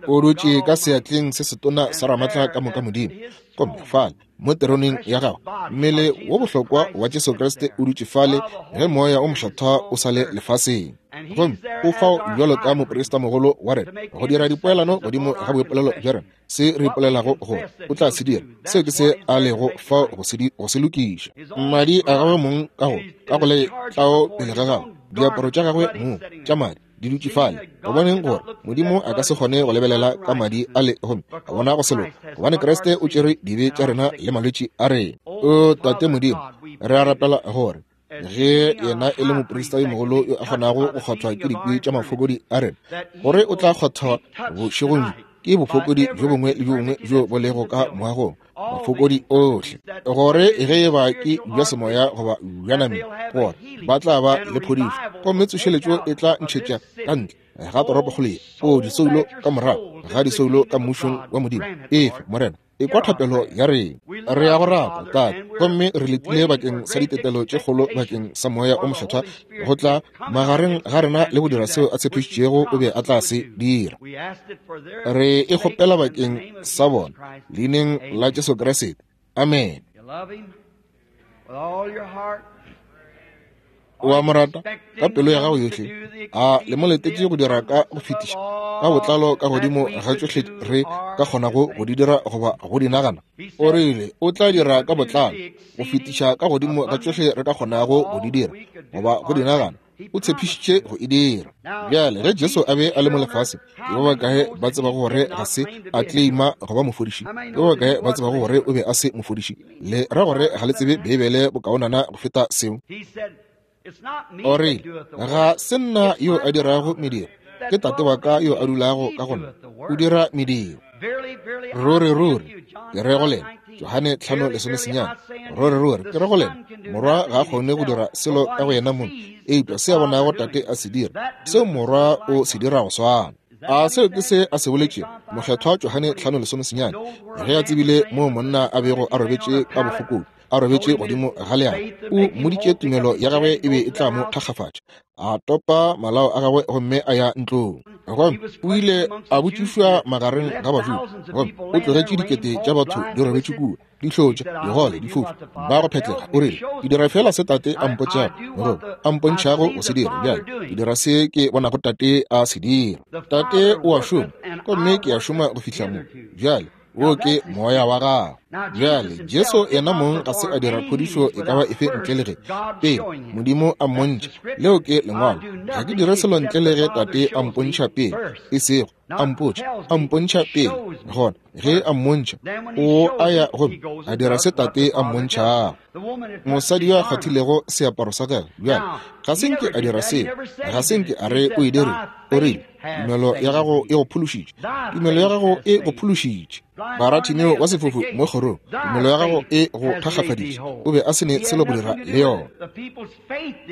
O dutše ka seatleng se setona sa Ramatla ka moka Modimo, gomme fale mo teroneng ya gagwe mmele wo bohlokwa wa Jesu Kriste o dutše fale ge Moya o Mokgethwa o sa le lefaseng, gomme o fao bjalo ka moprista mogolo wa rena go dira dipoelano godimo ga boipolelo bja rena. Se re ipolelago gore o tla se dira, seo ke se a lego fao go se lokiša. Madi a gagwe mong ka go le tlao pele ga gagwe, diaparo tša gagwe mong tša madi di dutše fale. Gobaneng gore Modimo a ka se kgone go lebelela ka madi a le gomme a bona go se loka? Gobane Kriste o tšere dibe tša rena le malwetši a rena. O Tate Modimo, re a rapela gore ge yena e le moprista yo mogolo yo a kgonago go kgwathwa ke dikwi tša mafokodi a rena, gore o tla kgwathwa bošegong ke bofokodi bjo bongwe le bjo bongwe bjo bo lego ka moagong, mafokodi ohle, gore ge e ba ke bja semoya goba bja nameng, gore ba tla ba le phodišo, gomme tsošeletšo e tla ntšhetša ka ntle ga toropokgolo ye, o disoulo ka morago ga disoulo ka mmušong wa Modimo. Efe, Morena, ekwa thapelo ya rena. Re ya go rata, Tate, gomme re letile bakeng sa ditetelo tše kgolo bakeng sa Moya o Mokgethwa go tla magareng ga rena le go dira seo a tshepišitšego o be a tla se dira. Re e kgopela bakeng sa bona, leineng la Jesu Kriste. Amen. O a mo rata ka pelo ya gago yohle? A le mo letetše go dira ka go fetiša ka botlalo ka godimo ga tšohle re ka kgonago go di dira goba go di nagana? O rile o tla dira ka botlalo go fetiša ka godimo ga tšohle re ka kgonago go di dira goba go di nagana. O tshepišitše go e dira. Bjale, ge Jesu a be a le mo lefaseng, ke ba bakae ba tsebago gore ga se a claima go ba mofodiši? Ke ba bakae ba tsebago gore o be a se mofodiši? Le ra gore ga le tsebe Beibele bokaonana go feta seo? O rile, Ga se nna yo a dirago mediro, ke Tate wa ka yo a dulago ka go nna, o dira mediro. Ruri, ruri, ke re go lena, Johane 5:19, ruri, ruri, ke re go lena, Morwa ga a kgone go dira selo ka go yena mong, eupša se a bonago Tate a se dira, seo Morwa o se dira go swana. A seo ke se a se boletšego? Mokgethwa Johane 5:19, ge a tsebile moo monna a bego a robetše ka bofokodi. a robetše godimo ga leago. O mmoditše tumelo ya gagwe e be e tla mo thakgafatša. A topa malao a gagwe gomme a ya ntlong. Gomme o ile a botšišwa magareng ga Bajuda, gomme o tlogetše dikete tša batho di robetše kua, di hlotša, digole, difofu, ba go phetlega. O rile, Ke dira feela se Tate a mpotšago, goba a mpontšhago go se dira. Bjale ke dira se ke bonago Tate a se dira. Tate o a šoma, gomme ke a šoma go fihla mo. Bjale wo ke moya wa gagwe. Bjale Jesu yena mong ga se a dira phodišo e ka ba efe ntle le ge pele Modimo a mmontšha. Leo ke Lengwalo. Ga ke dire selo ntle le ge Tate a mpontšha pele, e sego a mpotša, a mpontšha pele. Gona ge a mmontšha, o a ya gomme a dira se Tate a mmontšhago. Mosadi yo a kgwathilego seaparo sa gagwe, bjale ga se nke a dira seo, ga se nke a re o e dirile. O rile, Tumelo ya gago e go phološitše. Tumelo ya gago e go phološitše. Baratimeo wa sefofu mo kgorong, tumelo ya gago e go thakgafaditše. O be a se ne selo go dira le yona.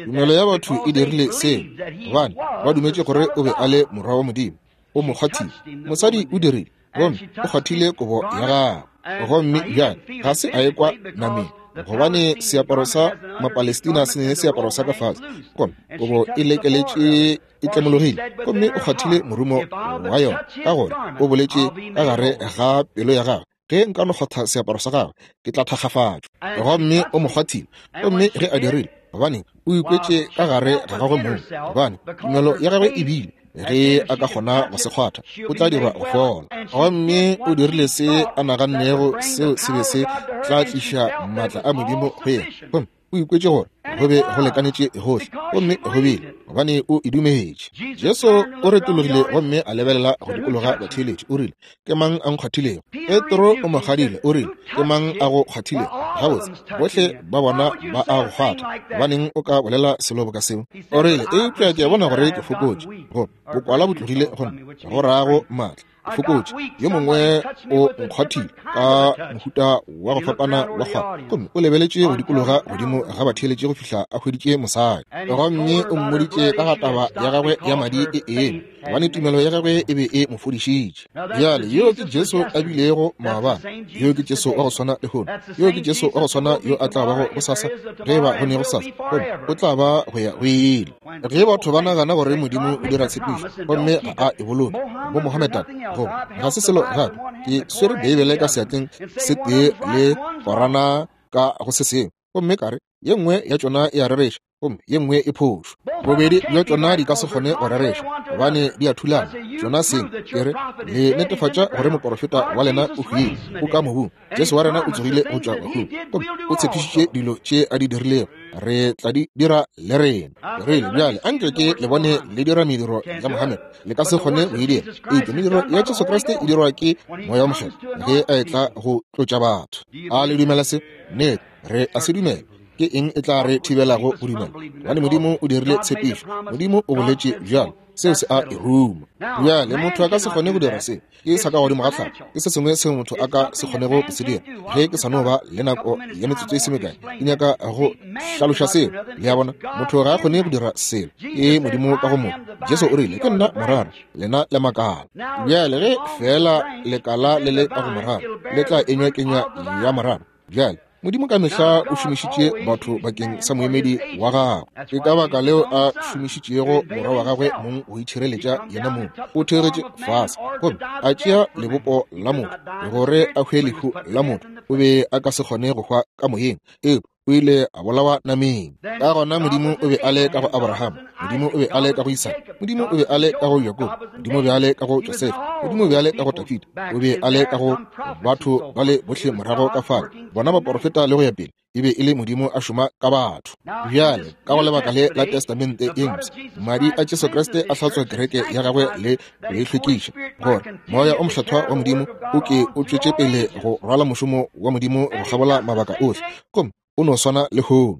Tumelo ya batho e dirile seo gobane ba dumetše gore o be a le Morwa wa Modimo. O mo kgwathile. Mosadi o dirile, gomme o kgwathile kobo ya gagwe. Gomme bjale ga se a ekwa nameng, gobane seaparo sa Mapalestina se ne seaparo sa ka fase, gomme kobo e lekeletše e tlemologile, gomme o kgwathile morumo wa yona, ka gore o boletše ka gare ga pelo ya gagwe, Ge nka no kgwatha seaparo sa gagwe, ke tla thakgafatšwa. Gomme o mo kgwathile. Gomme ge a dirile, gobaneng, o ikwetše ka gare ga gagwe mong, gobane tumelo ya gagwe e bile, ge a ka kgona go se kgwatha, o tla dirwa go fola. Gomme o dirile se a nagannego seo se be se tla tliša maatla a Modimo go yena. Gomme o ikwetše gore go be go lekanetše gohle, gomme go bile, gobane o e dumetše. Jesu o retologile gomme a lebelela go dikologa batheeletši, o rile, Ke mang a nkgwathilego? Petro o mo kgadile, o rile, Ke mang a go kgwathilego? Gabotse, bohle ba bona ba a go kgwatha, gobaneng o ka bolela selo boka seo? O rile, Eupša ke a bona gore ke fokotše, go bokwala bo tlogile go nna, go rago maatla. Fokotše, yo mongwe o nkgwathile ka mohuta wa go fapana wa kgwatho. Gomme o lebeletše go dikologa godimo ga batheeletši go fihla a hweditše mosadi, gomme o mmoditše ka ga taba ya gagwe ya madi e eme, gobane tumelo ya gagwe e be e mo fodišitše. Bjale, yo ke Jesu a bilego maabane, yo ke Jesu wa go swana lehono, yo ke Jesu wa go swana yo a tla bago gosasa, ge e ba go ne gosasa, gomme o tla ba go ya go ile. Ge batho ba nagana gore Modimo o dira tshepišo gomme ga a e boloke, bo Mohammedan, goba ga se selo gape, ke swere Beibele ka seatleng se tee le Korana ka go se sengwe, gomme ka re ye nngwe ya tšona e a rereša gomme ye nngwe e phošo. Bobedi bja tšona di ka se kgone go rereša gobane di a thulana tšona seng. Ke re le netefatša gore moporofeta wa lena o hwile, o ka mobung. Jesu wa rena o tsogile go tšwa bahung, gomme o tshepišitše dilo tše a di dirilego, re tla di dira le rena. Ke rile, Bjale anke ke le bone le dira mediro ya Mohammed. Le ka se kgone go e dira. Eupša mediro ya Jesu Kriste e dirwa ke Moya wo Mokgethwa ge a etla go tlotša batho. A le dumela se? Nnete, re a se dumela. Ke eng e tla re thibelago go dumela? Gobane Modimo o dirile tshepišo. Modimo o boletše bjalo. Seo se a e ruma. Bjale motho a ka se kgone go dira se. Ke sa ka godimo ga tlhago. Ke se sengwe seo motho a ka se kgonego go se dira. Ge ke sa no ba le nako ya metsotso e se mekae, ke nyaka go hlaloša seo. Le a bona, motho ga a kgone go dira selo. Ke Modimo ka go motho. Jesu o rile, Ke nna morara, lena le makala. Bjale ge feela lekala le le ka go morara, le tla enywa kenywa ya morara. Bjale, Modimo ka mehla o šomišitše batho bakeng sa moemedi wa gagwe. Ke ka baka leo a šomišitšego morwa wa gagwe mong go itšhireletša yena mong. O theogetše fase gomme a tšea lebopo la motho gore a hwe lehu la motho. O be a ka se kgone go hwa ka moyeng, eupša o ile a bolawa nameng. Ka gona Modimo o be a le ka go Abraham, Modimo o be a le ka go Isaka, Modimo o be a le ka go Jakobo, Modimo o be a le ka go Josefa, Modimo o be a le ka go Dafida, o be a le ka go batho ba le bohle morago ka fale, bona baporofeta le go ya pele. E be e le Modimo a šoma ka batho. Bjale, ka go lebaka le la Testamente e Mpsha, madi a Jesu Kriste a hlatswa kereke ya gagwe le go e hlwekiša, gore Moya o Mokgethwa wa Modimo o ke o tšwetše pele go rwala mošomo wa Modimo go kgabola mabaka ohle, gomme o no swana lehono.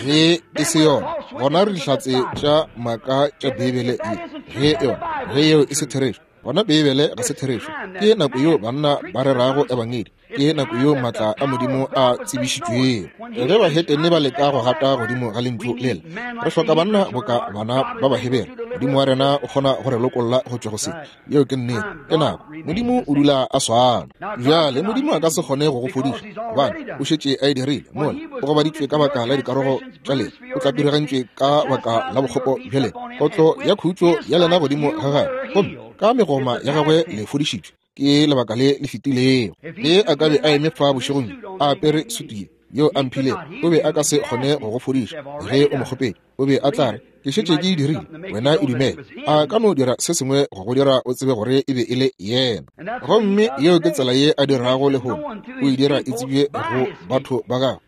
Ge e se yona, gona re dihlatse tša maaka tša Beibele ye. Ge yona, ge yeo e se therešo, Gona Beibele ga se therešo. Ke nako yeo banna ba rerago ebangedi. Ke nako yeo maatla a Modimo a tsebišitšwego. Ge bahetene ba leka go gata godimo ga lentšu lela, re hloka banna boka bana ba Bahebere. Modimo wa rena o kgona go re lokolla go tšwa go se. Yeo ke nnete. Ke nako. Modimo o dula a swana. Bjale, Modimo a ka se kgone go go fodiša, gobane O šetše a e dirile. Mola, o gobaditšwe ka baka la dikarogo tša lena, o tlapirigantšwe ka baka la bokgopo bja lena. Kotlo ya khutšo ya lena godimo ga gagwe, gomme ka megoma ya gagwe le fodišitšwe. Ke lebaka le le fetilego. Ge a ka be a eme fa bošegong bjo, a apere sutu ye yeo a mphilego, o be a ka se kgone go go fodiša ge o mo kgopetše. O be a tla re, Ke šetše ke e dirile, wena e dumele. A ka no dira se sengwe go go dira o tsebe gore e be e le yena. Gomme yeo ke tsela ye a dirago lehono. O e dira e tsebje go batho ba gagwe,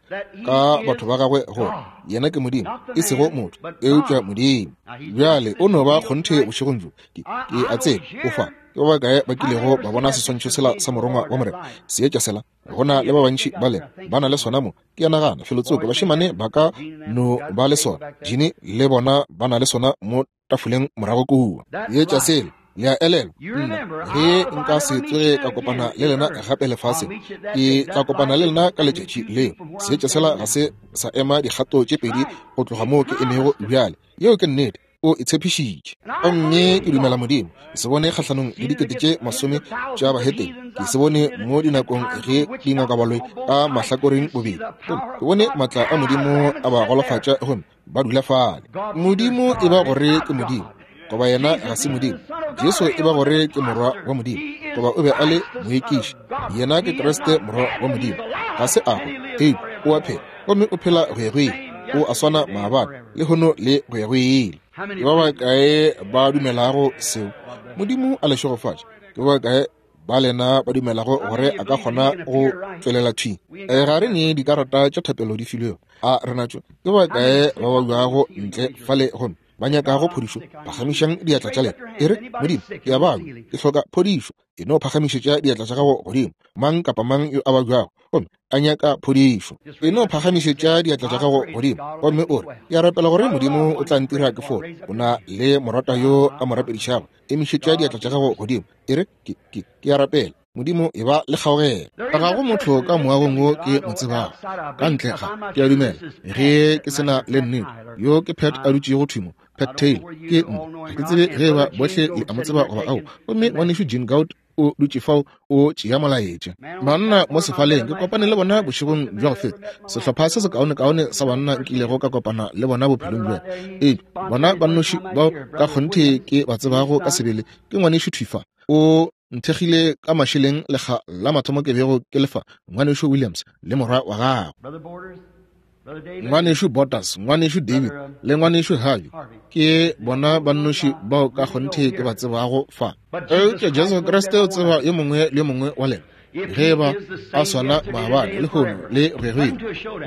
ka batho ba gagwe, gore yena ke Modimo, e sego motho, eupša Modimo. Bjale o no ba kgonthe bošegong bjo. Ke, ke a tseba o fa. Ke ba bakae ba kilego ba bona seswantšho sela sa Morongwa wa Morena, seetša sela? Go na le ba bantši ba lena ba na le sona mo. Ke a nagana felotsoko bašemane ba ka no ba le sona. Gene le bona ba na le sona mo tafoleng morago kua. Seetša sela, le a elelwa, nna ge nka se tsoge ka kopana le lena gape lefaseng, ke tla kopana le lena ka letšatši leo. Seetša sela ga se sa ema dikgato tše pedi go tloga moo ke emego bjale. Yeo ke nnete. O e tshepišitše. Gomme ke dumela Modimo. Ke se bone kgahlanong le dikete tše masome tša bahetene. Ke se bone mo dinakong ge dingakabaloi ka mahlakoreng bobedi. Gomme ke bone maatla a Modimo a ba golofatša gomme ba dula fale. Modimo e ba gore ke Modimo, goba yena ga se Modimo. Jesu e ba gore ke Morwa wa Modimo, goba o be a le moekiši. Yena ke Kriste Morwa wa Modimo. Ga se a hwa, eupša o a phela, gomme o phela go ya go ile. O a swana maabane, lehono le go ya go ile. Ke ba bakae ba dumelago seo? Modimo a le šegofatše. Ke ba bakae ba lena ba dumelago gore a ka kgona go tšwelela thwi? Ga re ne dikarata tša thapelo di filwego, a re natšo? Ke ba bakae ba babjago ntle fale gomme ba nyakago phodišo? Phagamišang diatla tša lena, e re, Modimo, ke a babja, ke hloka phodišo. E no phagamišetša diatla tša gago godimo, mang kapa mang yo a babjago gomme a nyaka phodišo. E no phagamišetša diatla tša gago godimo gomme o re, Ke a rapela gore Modimo o tla ntira ke fole. O na le morata yo a mo rapedišago. Emišetša diatla tša gago godimo, e re, Ke, ke, ke a rapela. Modimo, e ba le kgaogelo. Ga go motho ka moagong wo ke mo tsebago, ka ntle ga, ke a dumela, ge ke se na le nnete, yo ke Pat a dutšego thwi mo, Pat Taylor, ke nna. Ga ke tsebe ge eba bohle le a mo tseba goba ao. Gomme Ngwanešu Gene Gout o dutše fao o tšea molaetša. Banna mo sefaleng, ke kopane le bona bošegong bja go feta, sehlopha se sekaonekaone sa banna nkilego ka kopana le bona bophelong bja ka. Eupša bona ba nnoši bao ka kgonthe ke ba tsebago ka sebele ke Ngwanešu Thwi fa. O nthekgile ka mašeleng lekga la mathomo ke bego ke le fa, Ngwanešu Williams le morwa wa gagwe. Ngwanešu Bottas, Ngwanešu David le Ngwanešu Harvey ke bona ba nnoši bao ka kgonthe ke ba tsebago fa. Eupša Jesu Kriste o tseba yo mongwe le yo mongwe wa lena, ge e ba a swana maabane, lehono le go ya go ile.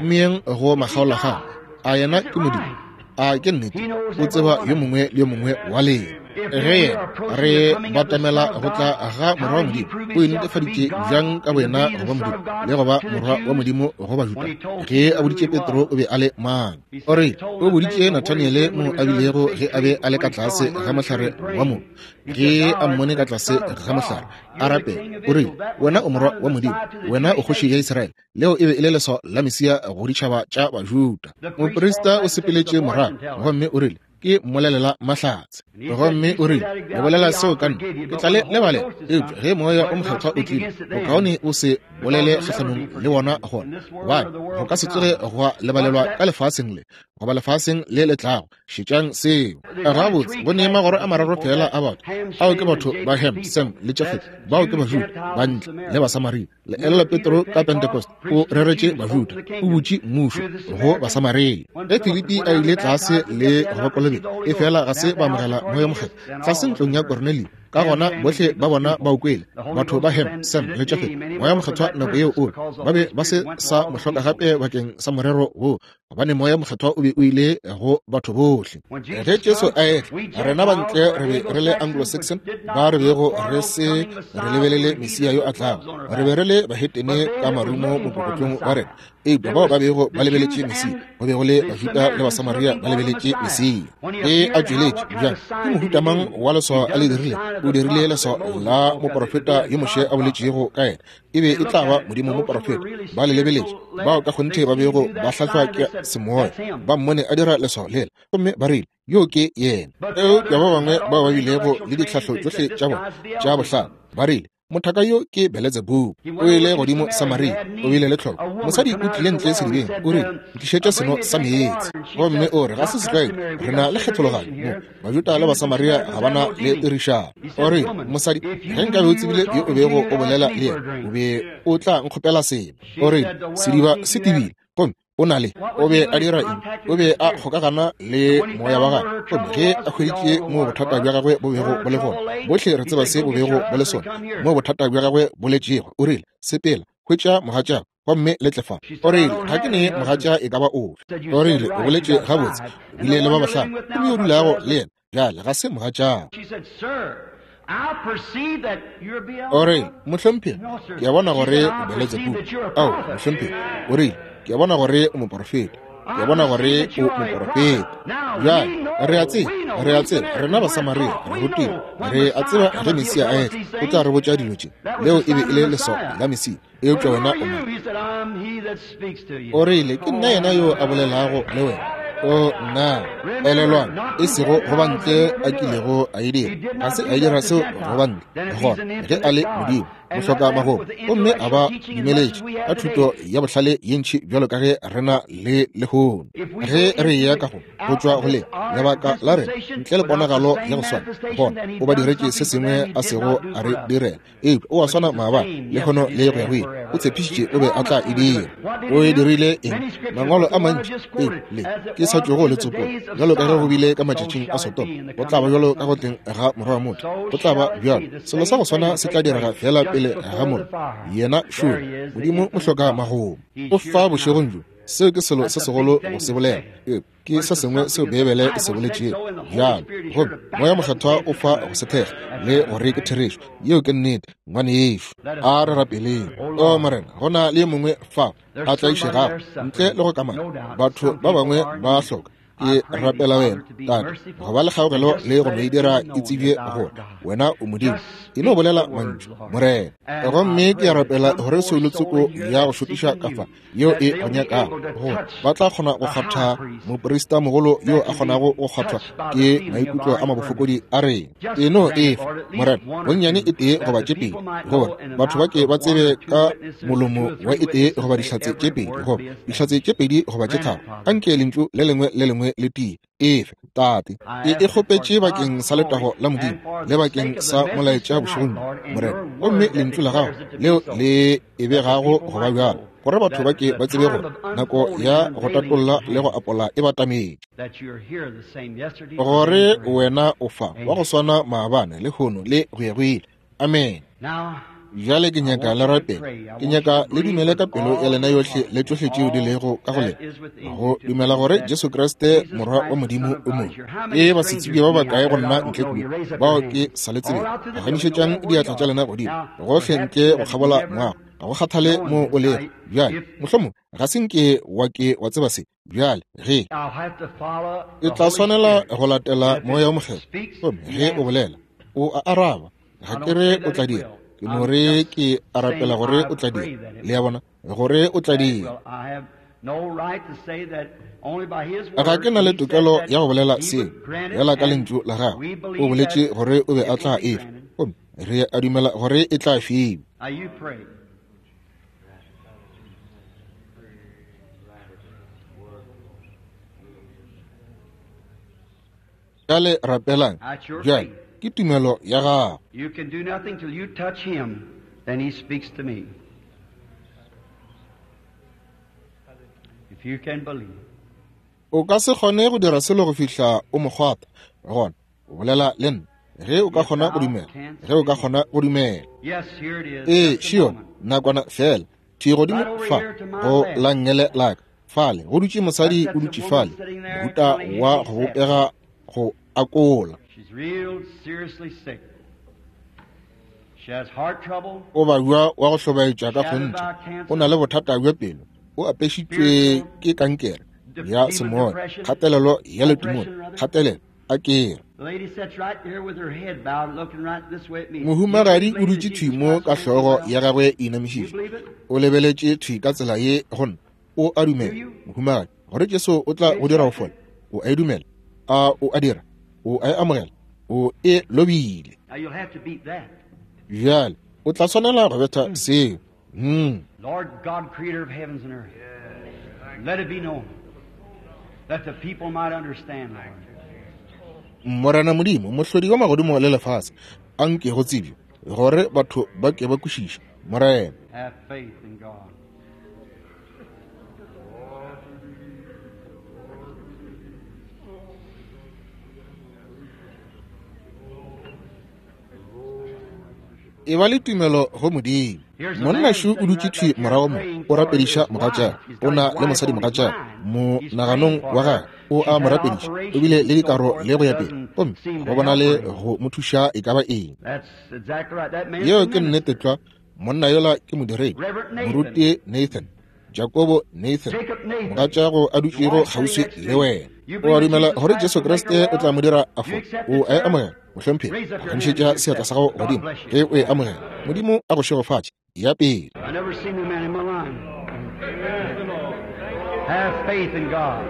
Mmeyeng go makgaolakgang. A yena ke Modimo? A ke nnete? O tseba yo mongwe le yo mongwe wa lena. Ge yena re batamela go tla ga Morwa wa Modimo, o inetefaditše bjang ka boyena go ba Modimo le go ba Morwa wa Modimo go Bajuda? Ge a boditše Petro o be a le mang, o re o boditše Nathaniele mo a bilego ge a be a le ka tlase ga mohlare wa mo, ge a mmone ka tlase ga mohlare a rapela, o rile, Wena o Morwa wa Modimo, wena o Kgoši ya Israele. Leo e be e le leswao la Mesia go ditšhaba tša Bajuda. Moprista o sepeletše morago gomme o rile, Ke mmolelela mahlatse. Gomme o rile, Le bolela seo ka nna, ke tla le lebalela. Eupša ge Moya o Mokgethwa o tlile, bokaone o se bolele kgahlanong le wona gona, gobane go ka se tsoge gwa lebalelwa ka lefaseng le goba lefaseng le le tlago. Šetšang seo. Gabotse, go ne magoro a mararo feela a batho. Ao ke batho ba Ham, Sem le Jafet. Bao ke Bajuda, Bantle le Basamaria. Le elela Petro ka Pentecost, o reretše Bajuda, o butše mmušo go Basamaria. Ge Filipi a ile tlase le go ba kolobetša, efela ga se ba amogela Moya Mokgethwa tlase ntlong ya Kornelio. Ka gona bohle ba bona ba o kwele, batho ba Ham, Sem le Jafet, Moya Mokgethwa nako yeo o re ba be ba se sa mo hloka gape bakeng sa morero wo, gobane Moya Mokgethwa o be o ile go batho bohle. Ge Jesu a etla, rena bantle re be re le Anglo-Saxon ba re bego re se re lebelele Mesia yo a tlago. Re be re le bahetene ka marumo mokokotlong wa rena. Eupša bao ba bego ba lebeletše Mesia, go be go le Bajuda le Basamaria ba lebeletše Mesia. Ge a tšweletše, bjang, ke mohuta mang wa leswao a le dirile? O dirile leswao la moprofeta yo Moshe a boletšego ka yena. E be e tla ba Modimo moprofeta. Ba le lebeletše, bao ka kgonthe ba bego ba hlahlwa ke semoya, ba mmone a dira leswao lela, gomme ba rile, Yo ke yena. Eupša ba bangwe bao ba bilego le ditlhahlo tšohle tša bona tša bohlale, ba rile, Mothaka yo ke Beletsebubu. O ile godimo Samaria, o bile le tlhoko. Mosadi o tlile ntle sedibeng, o rile, Ntlišetše seno sa meetse. Gomme o re, Ga se setlwaedi, re na le kgethologanyo mo. Bajuda le Basamaria ga ba na le tirišano. O rile, Mosadi, ge nkabe o tsebile yo o bego o bolela le yena, o be o tla nkgopela seno. O rile, Sediba se tebile, gomme o na le. O be a dira eng? O be a kgokagana le moya wa gagwe. Gomme ge a hweditše moo bothata bja gagwe bo bego bo le gona, bohle re tseba se bo bego bo le sona, moo bothata bja gagwe bo letšego, o rile, Sepela, hwetša mogatšago, gomme le tle fa. O rile, Ga ke ne mogatša e ka ba ofe. O rile, O boletše gabotse, o bile le ba bahlano, gomme yo o dulago le yena bjale ga se mogatšago. O rile, Mohlomphegi, ke a bona gore o Beletsebubu. Ao, mohlomphegi, o rile, ke a bona gore o moporofeta. Ke a bona gore o moporofeta. Bjale, re a tseba, re a tseba, rena Basamaria re rutilwe, re a tseba ge Mesia a etla, o tla re botša dilo tše. Leo e be e le leswao la Mesia. Eupša wena o mang? O rile, Ke nna yena yo a bolelago le wena. O nna, elelwang, e sego go ba ntle a kilego a e dira. Ga se a e dira seo go ba ntle. Gona, ge a le Modimo, mohloka magomo, gomme a ba dumeletše ka thuto ya bohlale ye ntši bjalo ka ge re na le lehono. Ge re eya ka go go tšwa go le lebaka la rena, ntle le ponagalo ya go swana, gona o ba diretše se sengwe a sego a re direla. Eupša o a swana maabane, lehono le go ya go ile. O tshepišitše o be a tla e dira. O e dirile eng? Mangwalo a mantši, ee, le ke sa tšwego le tsopola. Bjalo ka ge go bile ka matšatšing a Sodoma, go tla ba bjalo ka go tleng ga Morwa wa motho. Go tla ba bjalo. Selo sa go swana se tla direga feela pele ga mollo. Yena šole, Modimo mohloka magomo. O fa bošegong bjo. Seo ke selo se segolo go se bolela. Eupša ke se sengwe seo Beibele e se boletšego bjalo, gomme Moya Mokgethwa o fa go se thekga le gore ke therešo. Yeo ke nnete, ngwanešu. A re rapeleng. O Morena, go na le yo mongwe fa a tlaišegago ntle le go kamana. Batho ba bangwe ba hloka. Ke rapela wena, Tate, go ba le kgaogelo le go no e dira e tsebje gore wena o Modimo. E no bolela mantšu, Morena. Gomme ke a rapela gore soulo tsoko ya go šokiša ka fa yeo e go nyakago gore ba tla kgona go kgwatha moprista mogolo yo a kgonago go kgwathwa ke maikutlo a mabofokodi a rena. E no e fa, Morena, bonnyane e tee goba tše pedi, gore batho ba ke ba tsebe ka molomo wa e tee goba dihlatse tše pedi, goba dihlatse tše pedi goba tše tharo. Anke lentšu le lengwe le lengwe le tie. Efe, Tate, ke e kgopetše bakeng sa letago la Modimo le bakeng sa molaetša bošegong bjo, Morena, gomme lentšu la gago leo le e begago go ba bjalo, gore batho ba ke ba tsebe gore nako ya go tatolla le go apola e batametše, gore wena o fa wa go swana maabane, lehono le go ya go ile. Amene. Bjale ke nyaka le rapele. Ke nyaka le dumele ka pelo ya lena yohle le tšohle tšeo di lego ka go lena, go dumela gore Jesu Kriste Morwa wa Modimo o mo. Ke basetsebje ba bakae go nna ntle kua bao ke sa le tsebego? Phagamišetšang diatla tša lena godimo gohle ntle go kgabola moago, ga go kgathale mo o lego. Bjale, mohlomongwe ga se nke wa ke wa tseba se. Bjale ge ke tla swanela go latela Moya wo Mokgethwa, gomme ge o bolela, o a araba. Ga ke re o tla dira, ke no re ke a rapela gore o tla dira. Le a bona, gore o tla dira. Ga ke na le tokelo ya go bolela seo, bjala ka lentšu la gagwe. O boletše gore o be a tla e fa, gomme re a dumela gore e tla fiwa. Bjale rapelang. Bjale ke tumelo ya gago. You can do nothing till you touch him, then he speaks to me. If you can believe. O ka se kgone go dira selo go fihla o mo kgwatha, gona o bolela le nna. Ge o ka kgona go dumela, ge o ka kgona go dumela. Ee, Šione, nakwana feela, thwi godimo fa go la nngele la ka. Fale go dutše mosadi, o dutše fale, mohuta wa go bopega go akola. O babja wa go hlobaetša ka kgonthe, o na le bothata bja pelo. O apešitšwe ke kankere ya semoya, kgatelelo ya letimone, kgatelelo a kere. Mohumagadi o dutše thwi mo ka hlogo ya gagwe e inamišitšwe, o lebeletše thwi ka tsela ye go nna. O a dumela, mohumagadi, gore Jesu o tla go dira go fola? O a e dumela? A o a dira? O a e amogela? O e lobile. Bjale o tla swanela go betha seo. Lord God, creator of heavens and earth, let it be known that the people might understand, Lord. Morena Modimo, mohlodi wa magodimo le lefase, a nke go tsebje gore batho ba ke ba kwešiše, Morena. Have faith in God. E ba le tumelo go Modimo. Monna šo o dutše thwi morago mo, o rapediša mogatšagwe. O na le mosadi mogatšagwe monaganong wa gagwe, o a mo rapediša, o bile le dikaro le go ya pele, gomme go bona le go mo thuša e ka ba eng. Yeo ke nnete tlwa. Monna yola ke modiredi, moruti Nathan, Jakobo Nathan, mogatšago a dutšego kgauswi le wena. O a dumela gore Jesu Kriste o tla mo dira a fole? O a e amogela, mohlomphegi? Phagamišetša seatla sa gago godimo ge o e amogela. Modimo a go šegofatše. Ya pele. I never seen the man in my life. Have faith in God.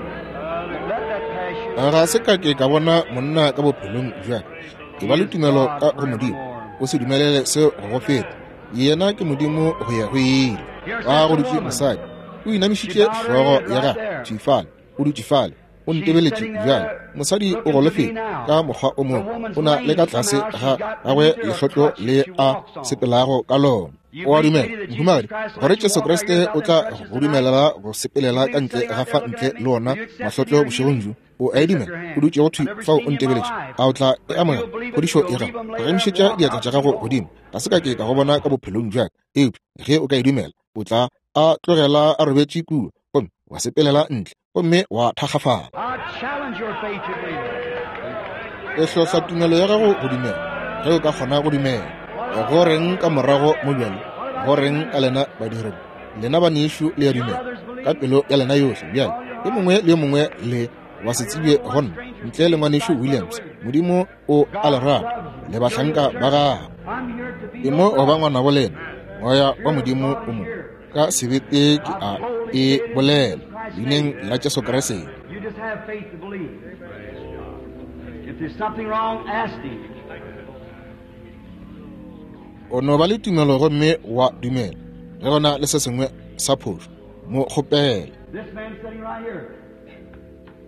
Let that pass you. Ga se ka ke ka bona monna ka bophelong bja ka. E ba le tumelo ka go Modimo. O se dumelele seo go go feta. Yena ke Modimo go ya go ile. Ba go dutše mosadi, o inamišitše hlogo ya gagwe thwi fale, o dutše fale, o ntebeletše bjale. Mosadi o golofetše ka mokgwa o mongwe, o na le ka tlase ga gagwe lehlotlo le a sepelago ka lona. O a dumela, mohumagadi, gore Jesu Kriste o tla go dumelela go sepelela ka ntle ga fa ntle le ona mahlotlo bošegong bjo? O a e dumela? O dutšego thwi fao o ntebeletše, a o tla e amogela phodišo ya gago? Phagamišetša diatla tša gago godimo. Ga se ka ke ka go bona ka bophelong bja ka, eupša ge o ka e dumela, o tla a tlogela a robetše kua, gomme wa sepelela ntle gomme wa thakgafala. I challenge your faith to believe. E hlohla tumelo ya gago go dumela, ge o ka kgona go dumela. Go reng ka morago mo bjale? Go reng ka lena badiredi? Lena banešu le a dumela ka pelo ya lena yohle bjale. Yo mongwe le yo mongwe le wa se tsebje go nna, ntle le ngwanešu Williams. Modimo o a le rata, le bahlanka ba gagwe. Ke mo go ba ngwanabo lena, Moya wa Modimo o mo. Ka sebete ke a e bolela, leineng la Jesu Kriste. You just have faith to believe. If there's something wrong, ask Him. O no ba le tumelo gomme wa dumela. Ge go na le se sengwe sa phošo, mo kgopele. This man sitting right here.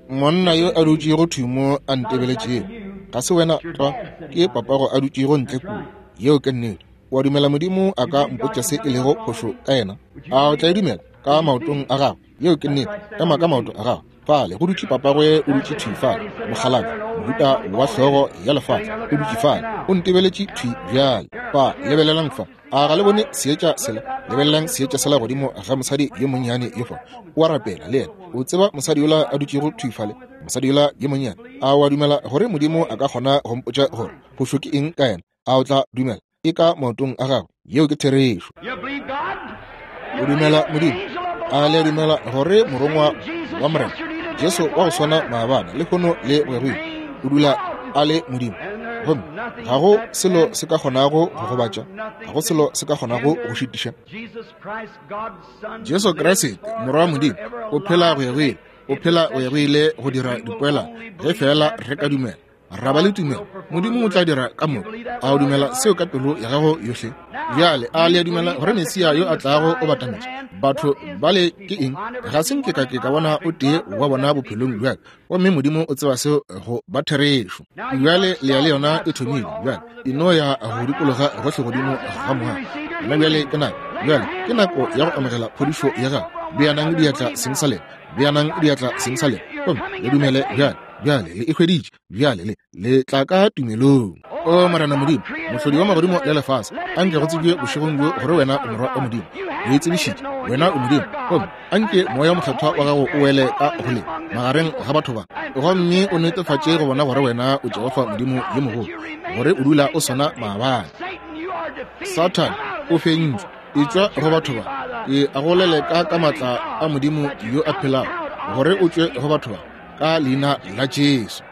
Monna yo a dutšego thwi mo a ntebeletšego, ga se wena tlwa, ke papago a dutšego ntle kua. Yeo ke nnete. O a dumela Modimo a ka mpotša se e lego phošo ka yena? A o tla e dumela ka maotong a gago? Yeo ke nnete. Ema ka maoto a gago. Fale go dutše papagwe, o dutše thwi fale, mokgalabje, mohuta wa hlogo ya lefatshe, o dutše fale, o ntebeletše thwi bjale. Fa, lebelelang fa. A ga le bone seetša sela? Lebelelang seetša sela godimo ga mosadi yo monnyane yo fa. O a rapela le yena. O tseba mosadi yola a dutšego thwi fale, mosadi yola yo monnyane. A o a dumela gore Modimo a ka kgona go mpotša gore phošo ke eng ka yena? A o tla dumela? E ka maotong a gagwe. Yeo ke therešo. You believe God? O dumela Modimo? A le a dumela gore morongwa wa Morena Jesu wa go swana maabane, lehono le go ya go ile, o dula a le Modimo? Gomme ga go selo se ka kgonago go gobatša, ga go selo se ka kgonago go šitiša. Jesus Christ, God's Son, Jesu Kriste, Morwa wa Modimo, o phela go ya go ile, o phela go ya go ile go dira dipoelano, ge feela re ka dumela, ra ba le tumelo, Modimo o tla dira ka moka. A o dumela seo ka pelo ya gago yohle? Bjale a le a dumela gore Mesia yo a tlago o batametše? Batho bale ke eng? Ga se nke ka ke ka bona o tee wa bona bophelong bja ka, gomme Modimo o tseba seo go ba therešo. Bjale le ya le yona e thomile bjale, e no ya go dikologa gohle godimo ga moago. Gona bjale ke nako, bjale ke nako ya go amogela phodišo ya gago. Beanang diatla seng sa lena, beanang diatla seng sa lena, gomme le dumele bjale. Bjale le e hweditše, bjale le le tla ka tumelong. O Morena Modimo, mohlodi wa magodimo le lefase, a nke go tsebje bošegong bjo gore wena o Morwa wa Modimo. O e tsebišitše, wena o Modimo. Gomme a nke Moya wo Mokgethwa wa gago o wele ka go le magareng ga batho ba, gomme o netefatše go bona gore wena o Jehofa Modimo yo mogolo, gore o dula o swana maabane. Sathane, o fentšwe. Etšwa go batho ba. Ke a go leleka ka maatla a Modimo yo a phelago, gore o tšwe go batho ba, ka leina la Jesu.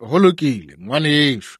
Go lokile, ngwanešu.